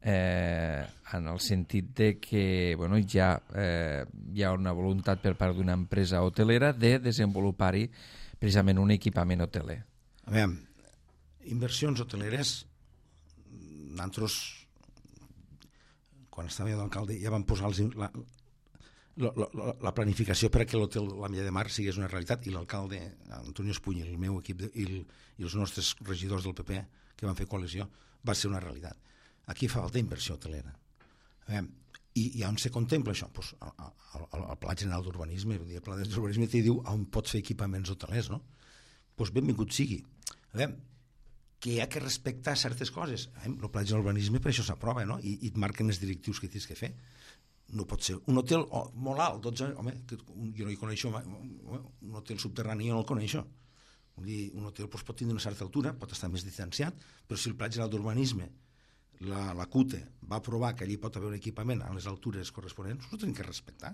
Speaker 1: en el sentit de que ja hi ha una voluntat per part d'una empresa hotelera de desenvolupar-hi precisament un equipament hoteler.
Speaker 2: A veure, inversions hoteleres, nosaltres quan estava d'alcalde ja vam posar la planificació per a que l'hotel La Milla de Mar sigués una realitat, i l'alcalde Antonio Espuny, el meu equip i els nostres regidors del PP que van fer coalició, va ser una realitat. Aquí fa falta inversió hotelera. I on se contempla això? Pues al Pla General d'Urbanisme. El Pla d'Urbanisme t'hi diu on pots fer equipaments hotelers, no? Pues benvingut sigui. Que hi ha que respectar certes coses. El Pla General d'Urbanisme per això s'aprova, no? I et marquen els directius que tens que fer. No pot ser un hotel molt alt, 12, home, jo no hi coneixo, un hotel subterrani jo no el coneixo. Un hotel pot tindre una certa altura, pot estar més distanciat, però si el Pla General d'Urbanisme, la CUTE, va aprovar que allí pot haver un equipament a les altures corresponents, ho tenim que respectar.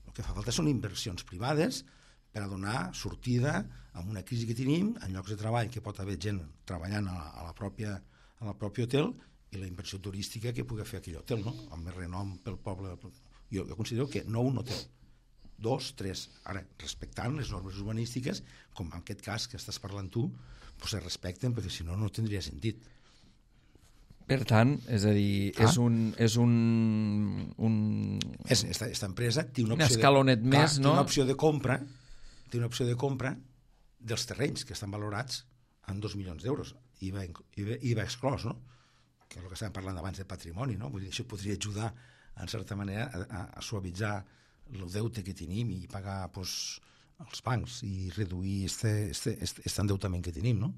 Speaker 2: El que fa falta són inversions privades per a donar sortida a una crisi que tenim, en llocs de treball que pot haver gent treballant a la pròpia hotel, i la inversió turística que pugui fer aquell hotel, no? Amb més renom pel poble. Jo considero que no un hotel, 2, 3, ara, respectant les normes urbanístiques, com en aquest cas que estàs parlant tu, doncs es respecten, perquè si no, no tindria sentit.
Speaker 1: Per tant, és a dir,
Speaker 2: Esta empresa té una
Speaker 1: opció escalonet més, no?
Speaker 2: Té una opció de compra dels terrenys que estan valorats en 2 milions d'euros. IVA exclòs, no? Que és el que estàvem parlant abans de patrimoni, no? Vull dir, això podria ajudar, en certa manera, a suavitzar el deute que tenim i pagar els bancs i reduir aquest endeutament que tenim, no?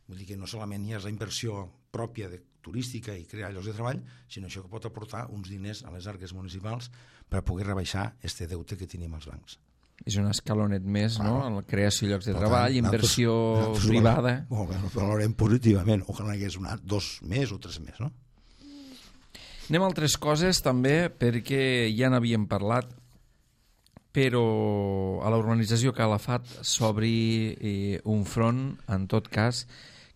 Speaker 2: Vull dir que no solament hi ha la inversió pròpia turística i crear llocs de treball, sinó això que pot aportar uns diners a les arques municipals per a poder rebaixar aquest deute que tenim als bancs.
Speaker 1: És un escalonet més, no? En la creació de llocs de treball, inversió privada.
Speaker 2: Molt bé, ho valorem positivament. Ojalà hi hagués 2 més o 3 més, no?
Speaker 1: Anem a altres coses també, perquè ja n'havíem parlat, però a la urbanització Calafat s'obri un front, en tot cas,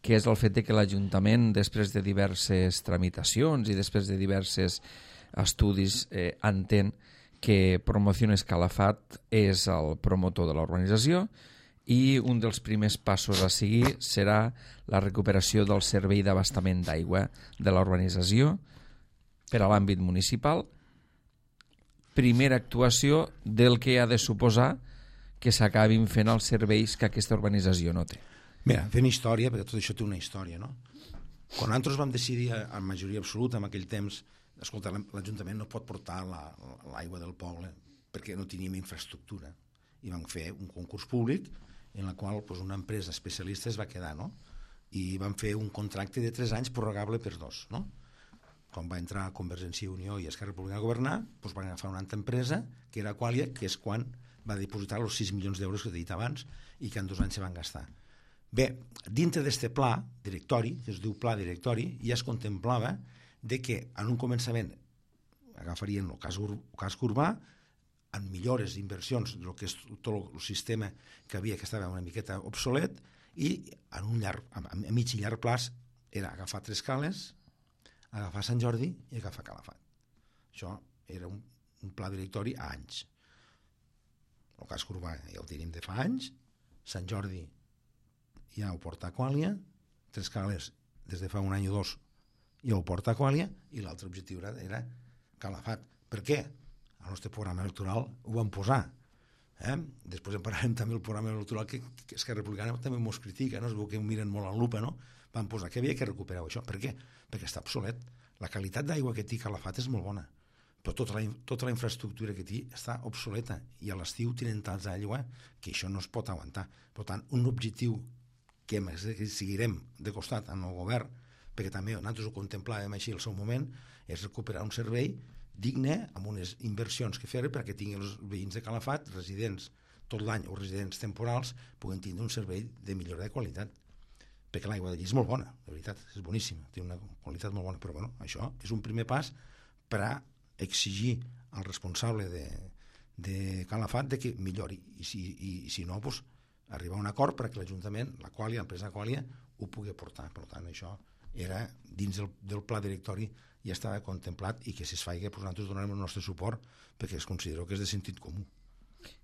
Speaker 1: que és el fet de que l'Ajuntament, després de diverses tramitacions i després de diversos estudis, entén que Promociones Calafat és el promotor de la urbanització i un dels primers passos a seguir serà la recuperació del servei d'abastament d'aigua de la urbanització per a l'àmbit municipal. Primera actuació del que ha de suposar que s'acabin fent els serveis que aquesta urbanització no té.
Speaker 2: Mira, fent història, perquè tot això té una història, no? Quan nosaltres vam decidir en majoria absoluta en aquell temps, escolta, l'Ajuntament no pot portar l'aigua del poble perquè no teníem infraestructura, i vam fer un concurs públic en el qual una empresa especialista es va quedar, no? I vam fer un contracte de 3 anys prorrogable per 2, no? Quan va entrar Convergència i Unió i Esquerra Republicana a governar, van agafar una altra empresa, que era Aqualia, que és quan va dipositar els 6 milions d'euros que he dit abans i que en 2 anys se van gastar. Bé, dintre d'aquest pla directori, que es diu pla directori, ja es contemplava de que en un començament agafarien el casc urbà en millores, inversions del que és tot el sistema que havia, que estava una miqueta obsolet, i a mig i llarg plaç era agafar Trescales, agafar Sant Jordi i agafar Calafat. Això era un pla directori a anys. el casc urbà ja ho tenim de fa anys, Sant Jordi ja ho porta Aquàlia, Trescales des de fa un any o dos ja ho porta Aquàlia, i l'altre objectiu era Calafat. Per què? Al nostre programa electoral ho vam posar. Després en parlarem també del programa electoral que Esquerra Republicana també ens critica, no? Es veu que ho miren molt en lupa, no? Vam posar que havia que recuperar això. Per què? Perquè està obsolet. La qualitat d'aigua que té Calafat és molt bona, però tota la infraestructura que té està obsoleta, i a l'estiu tenen tants d'aigua que això no es pot aguantar. Per tant, un objectiu que seguirem de costat en el govern, perquè també nosaltres ho contemplàvem així al seu moment, és recuperar un servei digne, amb unes inversions que fer perquè tinguin els veïns de Calafat, residents tot l'any o residents temporals, puguen tindre un servei de millora de qualitat, perquè l'aigua d'allí és molt bona, de veritat, és boníssima, té una qualitat molt bona, però bueno, això és un primer pas per a exigir al responsable de Calafat de que millori, i si no, doncs, arribar a un acord perquè l'Ajuntament, l'empresa Aquàlia, ho pugui aportar. Per tant, això era dins del pla directori, ja estava contemplat, i que si es faci, doncs nosaltres donarem el nostre suport perquè es considera que és de sentit comú.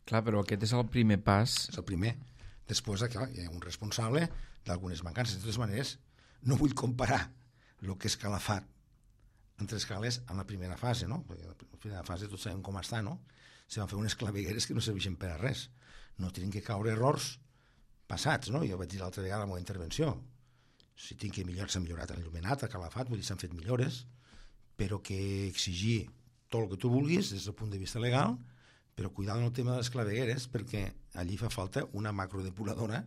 Speaker 1: Clar, però aquest és el primer pas.
Speaker 2: És el primer. Després, clar, hi ha un responsable d'algunes mancances. De totes maneres, no vull comparar el que és Calafat en Trescales en la primera fase, no? Perquè en la primera fase tots sabem com està, no? Se van fer unes clavegueres que no serveixen per a res. No tenen que caure errors passats, no? Jo vaig dir l'altra vegada a la meva intervenció, si tinc que millorar, s'ha millorat l'il·luminat, a Calafat, vull dir, s'han fet millores, però que exigir tot el que tu vulguis des del punt de vista legal, però cuidar en el tema de les clavegueres, perquè allí fa falta una macrodepuradora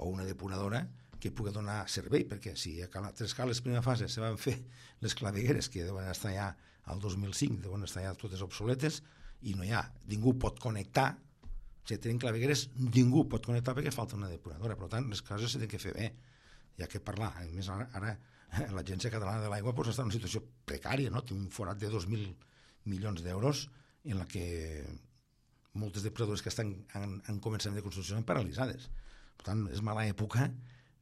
Speaker 2: o una depuradora que pugui donar servei, perquè si a Trescales primera fase se van fer les clavegueres que deuen estar ja al 2005, deuen estar ja totes obsoletes, i no hi ha, ningú pot connectar, si tenen clavegueres ningú pot connectar perquè falta una depuradora. Per tant, les coses s'han de fer bé, hi ha que parlar. A més, ara l'Agència Catalana de l'Aigua està en una situació precària, no? Té un forat de 2.000 milions d'euros en la que moltes depuradores que han començat de construcció són paralitzades. Per tant, és mala època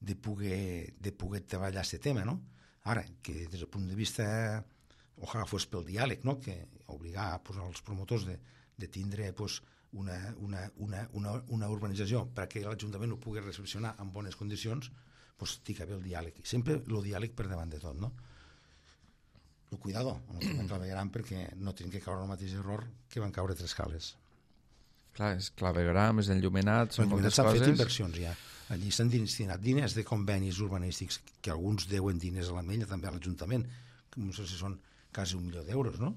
Speaker 2: de poder treballar aquest tema, no? Ara, que des del punt de vista, ojalà fos pel diàleg, no? Que obligar els promotors de tindre una urbanització perquè l'Ajuntament ho pugui recepcionar en bones condicions, doncs té que haver el diàleg. Sempre el diàleg per davant de tot, no? El cuidado, no clavegaran perquè no tenen que caure el mateix error que van caure Trescales.
Speaker 1: Clar, és clavegram, és enllumenat, són moltes coses.
Speaker 2: S'han fet inversions ja. Allí s'han destinat diners de convenis urbanístics, que alguns deuen diners a l'Ametlla, també a l'Ajuntament, que no sé si són quasi 1 milió d'euros, no?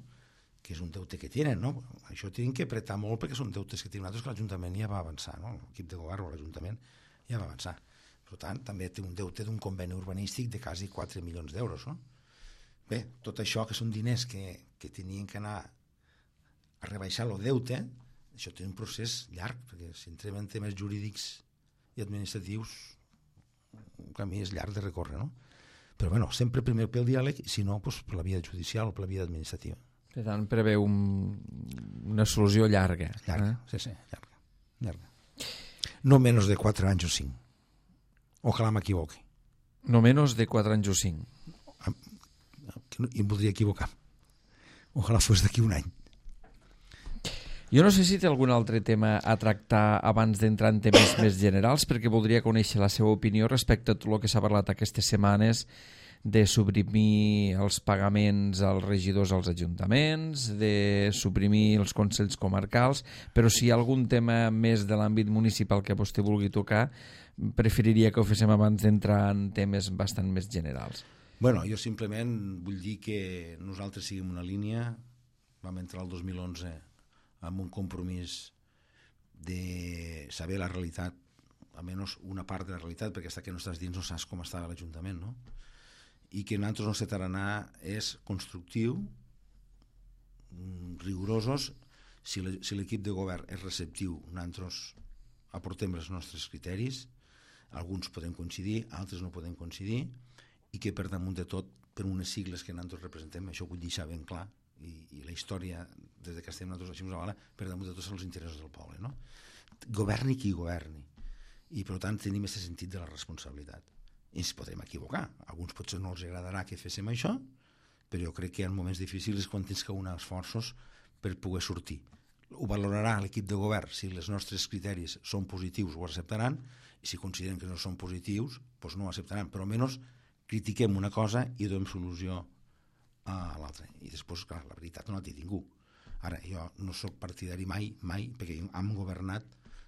Speaker 2: Que és un deute que tenen, no? Això tenen que apretar molt perquè són deutes que tenen altres que l'Ajuntament ja va avançar, no? L'equip de govern o l'Ajuntament ja va avançar. Per tant, també té un deute d'un conveni urbanístic de quasi 4 milions d'euros, no? Bé, tot això que són diners que tenien que anar a rebaixar el deute, això té un procés llarg, perquè si entrem en temes jurídics i administratius, un camí és llarg de recórrer, no? Però, bueno, sempre primer pel diàleg, i si no, doncs, per la via judicial o per la via administrativa.
Speaker 1: Per tant, preveu una solució llarga.
Speaker 2: Llarga, sí, llarga. No menys de 4 anys o 5. Ojalà m'equivoqui.
Speaker 1: No menys de 4 anys o 5.
Speaker 2: I em voldria equivocar. Ojalà fos d'aquí un any.
Speaker 1: Jo no sé si té algun altre tema a tractar abans d'entrar en temes més generals, perquè voldria conèixer la seva opinió respecte a tot el que s'ha parlat aquestes setmanes de suprimir els pagaments als regidors als ajuntaments, de suprimir els consells comarcals, però si hi ha algun tema més de l'àmbit municipal que vostè vulgui tocar, preferiria que ho féssim abans d'entrar en temes bastant més generals.
Speaker 2: Bueno, jo simplement vull dir que nosaltres seguim una línia, vam entrar el 2011 amb un compromís de saber la realitat, almenys una part de la realitat, perquè fins que no estàs dins no saps com està l'Ajuntament, no? I que nosaltres el nostre tarannà és constructiu, rigorosos. Si l'equip de govern és receptiu, nosaltres aportem els nostres criteris, alguns podem coincidir, altres no podem coincidir, i que per damunt de tot, per unes sigles que nosaltres representem, això ho vull deixar ben clar, i la història, des que estem nosaltres així, per damunt de tots els interessos del poble, no? Governi qui governi. I per tant tenim aquest sentit de la responsabilitat. I ens podrem equivocar. A alguns potser no els agradarà que féssim això, però jo crec que en moments difícils és quan tens que unir esforços per poder sortir. ho valorarà l'equip de govern. Si els nostres criteris són positius ho acceptaran, i si consideren que no són positius doncs no ho acceptaran, però almenys critiquem una cosa i donem solució a l'altra. I després, clar, la veritat no la té ningú. Ara, jo no sóc partidari mai, perquè hem governat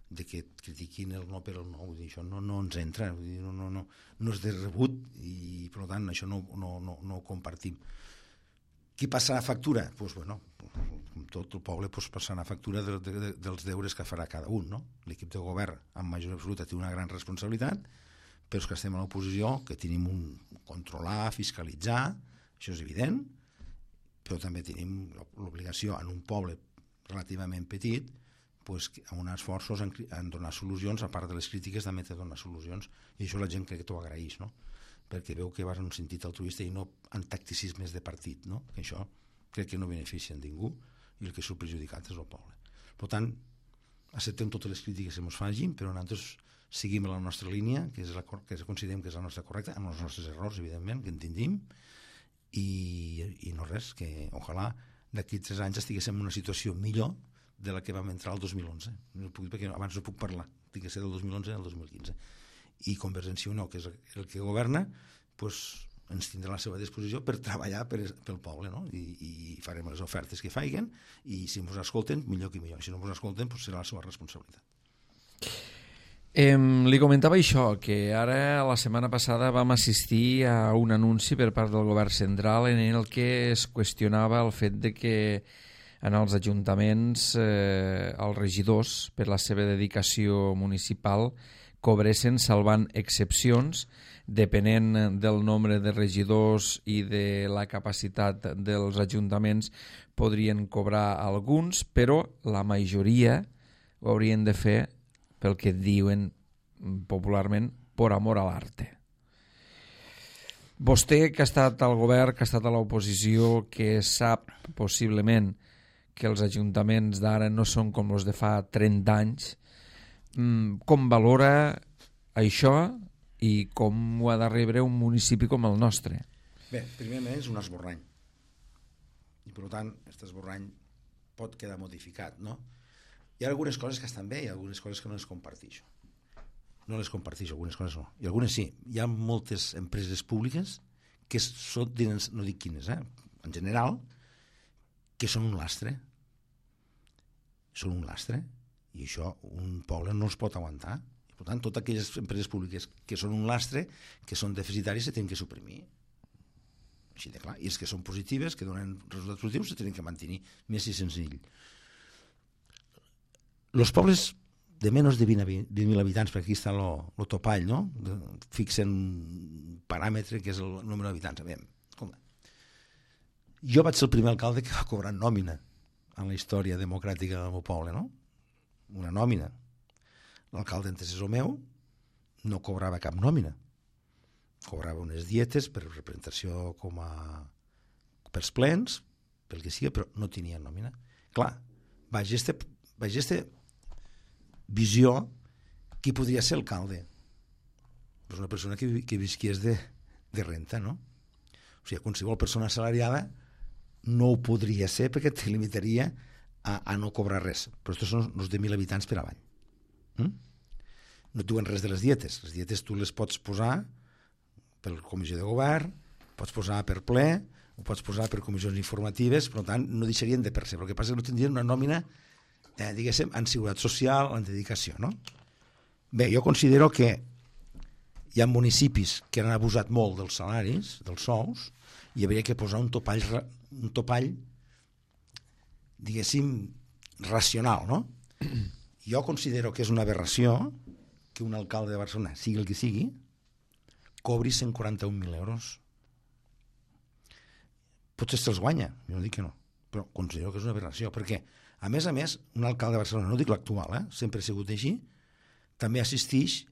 Speaker 2: de que critiquin el no per el no, vull dir, això no ens entra, vull dir, no és de rebut, i per tant això no ho compartim. Qui passarà factura? Doncs, bueno, com tot el poble passarà factura dels deures que farà cada un, no? L'equip de govern, en majoria absoluta, té una gran responsabilitat, però és que estem a l'oposició, que tenim un controlar, fiscalitzar, això és evident, però també tenim l'obligació en un poble relativament petit pues, amb esforços en donar solucions, a part de les crítiques també de donar solucions, i això la gent crec que t'ho agraeix, no? Perquè veu que vas en un sentit altruista i no en tacticismes de partit, no? Que això crec que no beneficia a ningú i el que surt perjudicat és el poble. Per tant, acceptem totes les crítiques que ens facin, però nosaltres seguim la nostra línia, que considerem que és la nostra correcta, amb els nostres errors, evidentment, que en tindim, i no res, que ojalà d'aquí 3 anys estiguéssim en una situació millor de la que vam entrar el 2011. No puc, perquè abans no puc parlar, tinc que ser del 2011 al 2015. I Convergència i Unió, que és el que governa, doncs ens tindrà a la seva disposició per treballar pel poble, no? I farem les ofertes que faiguen, i si ens escolten, millor que millor. Si no ens escolten, doncs serà la seva responsabilitat.
Speaker 1: Li comentava això, que ara la setmana passada vam assistir a un anunci per part del govern central en el que es qüestionava el fet de que en els ajuntaments els regidors, per la seva dedicació municipal, cobressin salvant excepcions, depenent del nombre de regidors i de la capacitat dels ajuntaments, podrien cobrar alguns, però la majoria ho haurien de fer pel que diuen popularment por amor a l'arte. Vostè, que ha estat al govern, que ha estat a l'oposició, que sap possiblement que els ajuntaments d'ara no són com els de fa 30 anys, com valora això i com ho ha de rebre un municipi com el nostre?
Speaker 2: Bé, primerament és un esborrany, i per tant aquest esborrany pot quedar modificat, no? Hi ha algunes coses que estan bé i algunes coses que no les comparteixo. No les comparteixo, algunes coses no. I algunes sí. Hi ha moltes empreses públiques que són, no dic quines, en general, que són un lastre. Són un lastre. I això un poble no els pot aguantar. I, per tant, totes aquelles empreses públiques que són un lastre, que són deficitaris, se tenen que suprimir. Així de clar. I els que són positives, que donen resultats positius, se tenen que mantenir. Més i senzill. Els pobles de menys de 20.000 habitants, perquè aquí està el topall, no? Fixen un paràmetre que és el número d'habitants. Jo vaig ser el primer alcalde que va cobrar nòmina en la història democràtica del meu poble, no? Una nòmina. L'alcalde antecessor meu no cobrava cap nòmina. Cobrava unes dietes per representació pels plens, pel que sigui, però no tenia nòmina. Clar, vaig aquesta visió, qui podria ser alcalde? Pues una persona que visquies de renta, no? O sigui, qualsevol persona assalariada no ho podria ser perquè te limitaria a no cobrar res. Però aquests són els de 1.000 habitants per avall. No diuen res de les dietes. Les dietes tu les pots posar per comissió de govern, pots posar per ple, ho pots posar per comissions informatives, per tant, no deixarien de percebre. El que passa és que no tindrien una nòmina diguéssim, en seguretat social, en dedicació, no? Bé, jo considero que hi ha municipis que han abusat molt dels salaris, dels sous, i hauria que posar un topall, diguéssim, racional, no? Jo considero que és una aberració que un alcalde de Barcelona, sigui el que sigui, cobri 141.000 euros. Potser se'ls guanya, jo no dic que no, però considero que és una aberració, perquè a més, un alcalde de Barcelona, no dic l'actual, sempre ha sigut així, també assisteix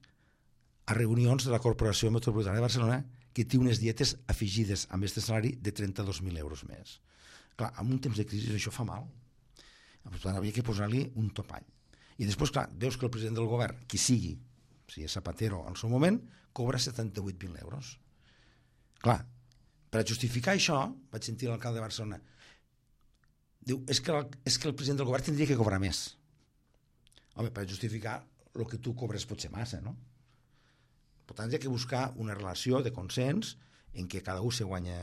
Speaker 2: a reunions de la Corporació Metropolitana de Barcelona que té unes dietes afegides amb aquest salari de 32.000 euros més. Clar, en un temps de crisi això fa mal. Per tant, havia que posar-li un topall. I després, clar, veus que el president del govern, qui sigui, si és Zapatero al seu moment, cobra 78.000 euros. Clar, per justificar això, vaig sentir l'alcalde de Barcelona Diu, és que el president del govern tindria que cobrar més. Home, per justificar el que tu cobres pot ser massa, no? Per tant, hi ha que buscar una relació de consens en què cada un se guanya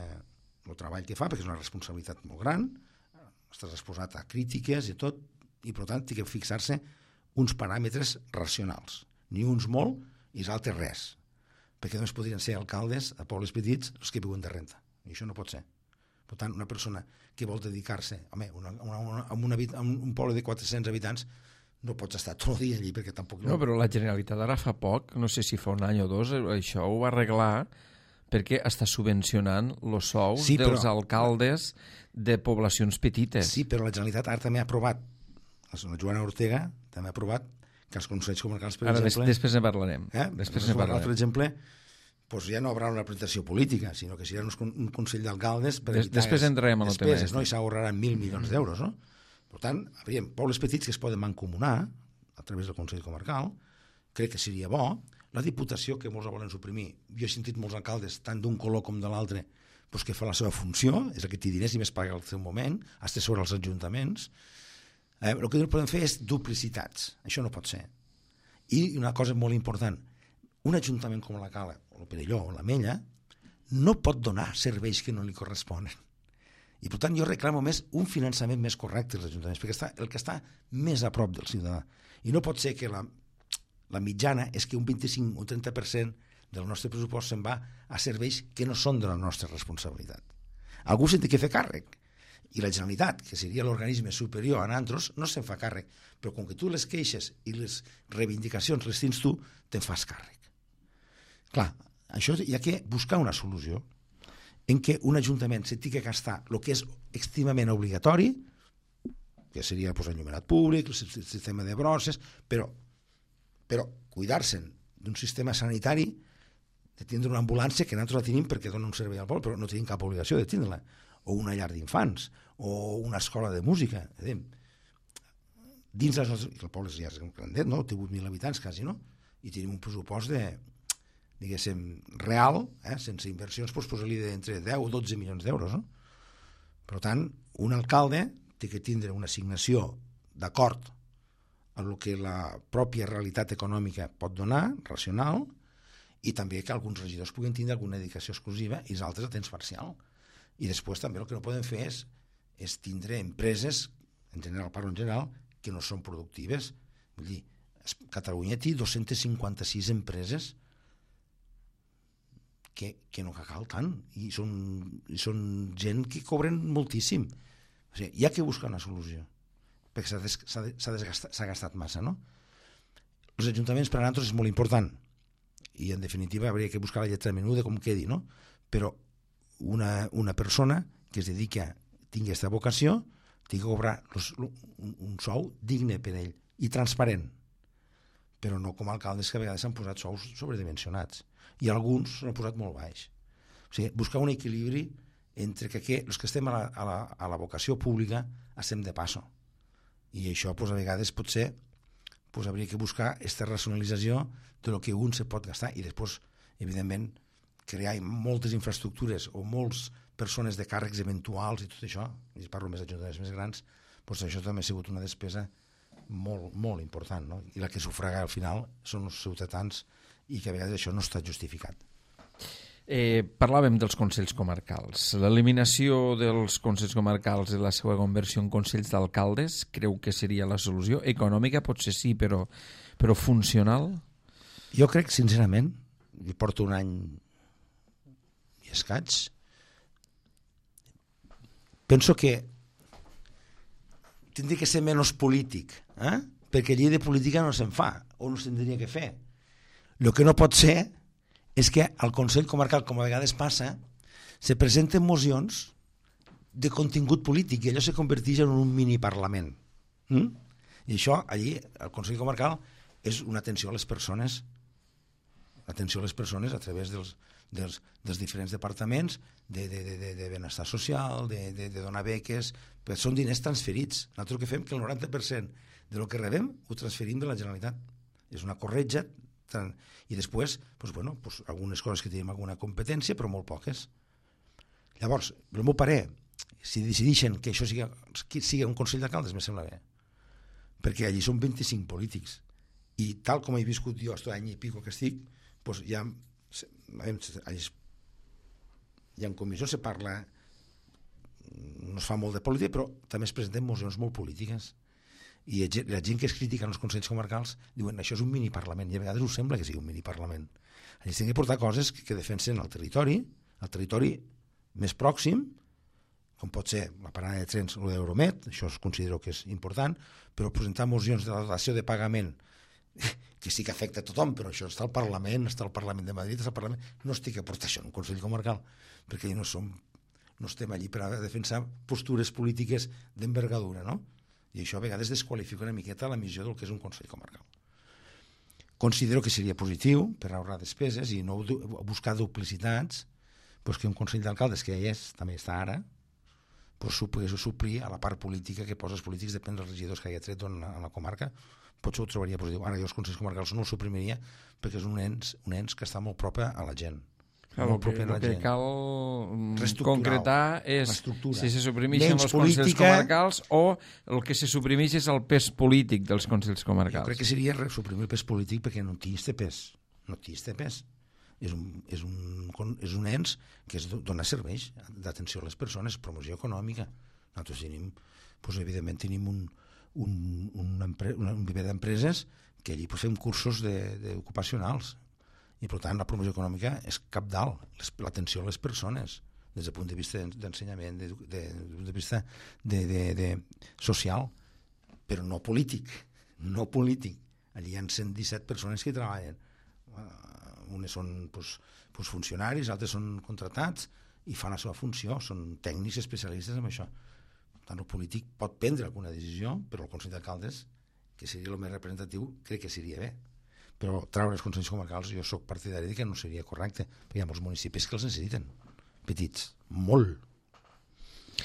Speaker 2: el treball que fa, perquè és una responsabilitat molt gran, estàs exposat a crítiques i tot, i per tant, ha que fixar-se uns paràmetres racionals. Ni uns molt i els altres res. Perquè només podrien ser alcaldes a pobles petits els que viuen de renta. I això no pot ser. Per tant, una persona que vol dedicar-se a un poble de 400 habitants no pots estar tot el dia allí perquè tampoc...
Speaker 1: No, però la Generalitat ara fa poc, no sé si fa un any o dos, això ho va arreglar perquè està subvencionant els sous dels alcaldes de poblacions petites.
Speaker 2: Sí, però la Generalitat ara també ha aprovat, la Joana Ortega també ha aprovat que els consells comarcals, per exemple...
Speaker 1: Després ne parlarem.
Speaker 2: Després ne parlarem. Per exemple, doncs ja no haurà una representació política, sinó que serà un consell d'alcaldes per evitar
Speaker 1: després entrarem a
Speaker 2: despeses, no? I s'ahorraran 1.000 milions d'euros, no? Per tant, hauríem pobles petits que es poden mancomunar a través del Consell Comarcal, crec que seria bo. La Diputació, que molts la volen suprimir, jo he sentit molts alcaldes, tant d'un color com de l'altre, doncs que fa la seva funció, és el que té diners i més paga al seu moment, hasta sobre els ajuntaments. El que no podem fer és duplicitats, això no pot ser. I una cosa molt important, un ajuntament com la Cala, o el Perelló, o la Mella, no pot donar serveis que no li corresponen. I per tant jo reclamo més un finançament més correcte als ajuntaments, perquè el que està més a prop del ciutadà. I no pot ser que la mitjana és que un 25 o 30% del nostre pressupost se'n va a serveis que no són de la nostra responsabilitat. Algú se'n té que fer càrrec. I la Generalitat, que seria l'organisme superior a nosaltres, no se'n fa càrrec. Però com que tu les queixes i les reivindicacions les tens tu, te'n fas càrrec. Clar, això hi ha que buscar una solució en què un ajuntament se tingui que gastar el que és extremament obligatori, que seria enllumenat públic, el sistema de brosses, però cuidar-se'n d'un sistema sanitari, de tindre una ambulància, que nosaltres la tenim perquè dona un servei al poble, però no tenim cap obligació de tindre-la, o una llar d'infants, o una escola de música. Dins les nostres... El poble ja és grandet, no? Té 8.000 habitants quasi, no? I tenim un pressupost diguéssim, real, sense inversions, doncs posa-li d'entre 10 o 12 milions d'euros, no? Per tant, un alcalde té que tindre una assignació d'acord amb el que la pròpia realitat econòmica pot donar, racional, i també que alguns regidors puguin tindre alguna dedicació exclusiva i els altres a temps parcial. I després també el que no podem fer és tindre empreses, en general, parlo en general, que no són productives. Vull dir, Catalunya té 256 empreses que no cal tant, i són gent que cobren moltíssim. O sigui, hi ha que buscar una solució, perquè s'ha gastat massa, no? Els ajuntaments per a nosaltres és molt important, i en definitiva hauria que buscar la lletra menuda com quedi, no? Però una persona que es dedica, tingui aquesta vocació, tingui que cobrar un sou digne per ell, i transparent, però no com alcaldes que a vegades s'han posat sous sobredimensionats, i alguns s'han posat molt baix. O sigui, buscar un equilibri entre que els que estem a la vocació pública estem de passo. I això, a vegades, potser hauria que buscar aquesta racionalització del que un se pot gastar i després, evidentment, crear moltes infraestructures o moltes persones de càrrecs eventuals i tot això, i parlo més d'ajuntaments més grans, doncs això també ha sigut una despesa molt, molt important, no? I la que sufraga al final són els ciutadans, i que a vegades això no està justificat.
Speaker 1: Parlàvem dels consells comarcals. L'eliminació dels consells comarcals i la seva conversió en consells d'alcaldes creu que seria la solució? Econòmica potser sí, però funcional?
Speaker 2: Jo crec, sincerament, i porto un any i escaig, penso que tindria que ser menys polític, perquè llei de política no se'n fa, o no se'n tindria que fer. El que no pot ser és que al Consell Comarcal, com a vegades passa, se presenten mocions de contingut polític i allò se converteix en un mini-parlament. I això, allí, al Consell Comarcal, és una atenció a les persones, a través dels diferents departaments de benestar social, de donar beques, però són diners transferits. Nosaltres el que fem que el 90% del que rebem ho transferim de la Generalitat. És una corretja, i després, algunes coses que tenim alguna competència, però molt poques. Llavors, el meu parer si decideixen que això sigui un Consell d'Alcaldes, me sembla bé, perquè allí són 25 polítics, i tal com he viscut jo aquest any i pico que estic, doncs hi ha en comissió se parla, no es fa molt de política, però també es presenten mocions molt polítiques, i la gent que es critica en els consells comarcals diuen això és un miniparlament, i a vegades us sembla que sigui un miniparlament. Ells tenen que portar coses que defensen el territori més pròxim, com pot ser la parada de trens o d'Euromed, això es considero que és important, però presentar mocions de la dació de pagament que sí que afecta a tothom, però això està al Parlament de Madrid, no estic a portar això en un Consell Comarcal, perquè no estem allí per a defensar postures polítiques d'envergadura, no? I això a vegades desqualifica una miqueta la missió del que és un Consell Comarcal. Considero que seria positiu per ahorrar despeses i no buscar duplicitats, doncs que un Consell d'Alcaldes, que ja també està ara, doncs pogués suplir a la part política que posa els polítics, depèn dels regidors que hagi tret a la comarca, potser ho trobaria positiu. Ara jo els Consells Comarcals no el suprimiria perquè és un ens que està molt proper a la gent.
Speaker 1: El que cal concretar és si se suprimeixen els Consells Comarcals o el que se suprimeix és el pes polític dels Consells Comarcals.
Speaker 2: Jo crec que seria suprimir el pes polític perquè no té pes. No té pes. És un ens que dona serveis d'atenció a les persones, promoció econòmica. Nosaltres tenim, evidentment, tenim un viver d'empreses que allí fem cursos ocupacionals. I per tant la promoció econòmica és cabdal, l'atenció a les persones des del punt de vista d'ensenyament, des del punt de vista social, però no polític. Allí hi ha 117 persones que hi treballen, unes són funcionaris, altres són contratats i fan la seva funció, són tècnics especialistes en això. Per tant, el polític pot prendre alguna decisió, però el Consell d'Alcaldes, que seria el més representatiu, crec que seria bé. Però treure els consells comarcals jo sóc partidari que no seria correcte, perquè hi ha molts municipis que els necessiten, petits, molt.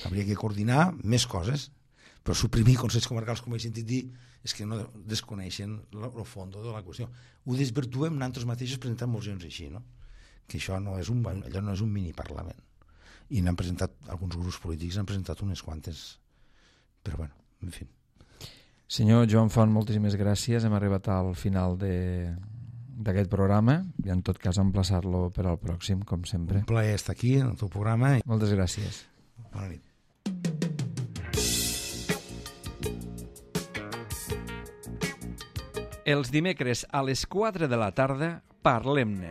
Speaker 2: Hauria que coordinar més coses, però suprimir consells comarcals, com he sentit dir, és que no desconeixen el fons de la qüestió. Ho desvirtuem nosaltres mateixos presentant mocions així, no? Que allò no és un miniparlament. I n'han presentat, alguns grups polítics han presentat unes quantes, però bueno, en fi.
Speaker 1: Senyor Joan Font, moltíssimes gràcies. Hem arribat al final d'aquest programa i en tot cas emplaçar-lo per al pròxim, com sempre.
Speaker 2: Un plaer estar aquí en el teu programa.
Speaker 1: Moltes gràcies.
Speaker 2: Bona nit.
Speaker 1: Els dimecres a les 4 de la tarda, Parlem-ne,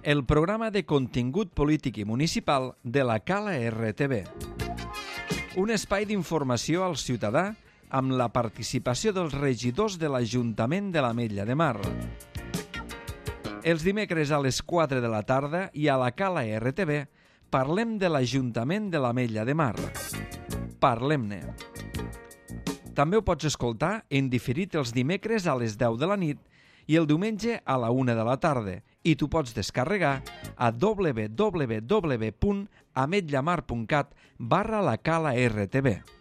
Speaker 1: el programa de contingut polític i municipal de la Cala RTV. Un espai d'informació al ciutadà amb la participació dels regidors de l'Ajuntament de l'Ametlla de Mar. Els dimecres a les 4 de la tarda i a la Cala RTV parlem de l'Ajuntament de l'Ametlla de Mar. Parlem-ne. També ho pots escoltar en diferit els dimecres a les 10 de la nit i el diumenge a la 1 de la tarda i t'ho pots descarregar a www.ametllamar.cat/la Cala RTV.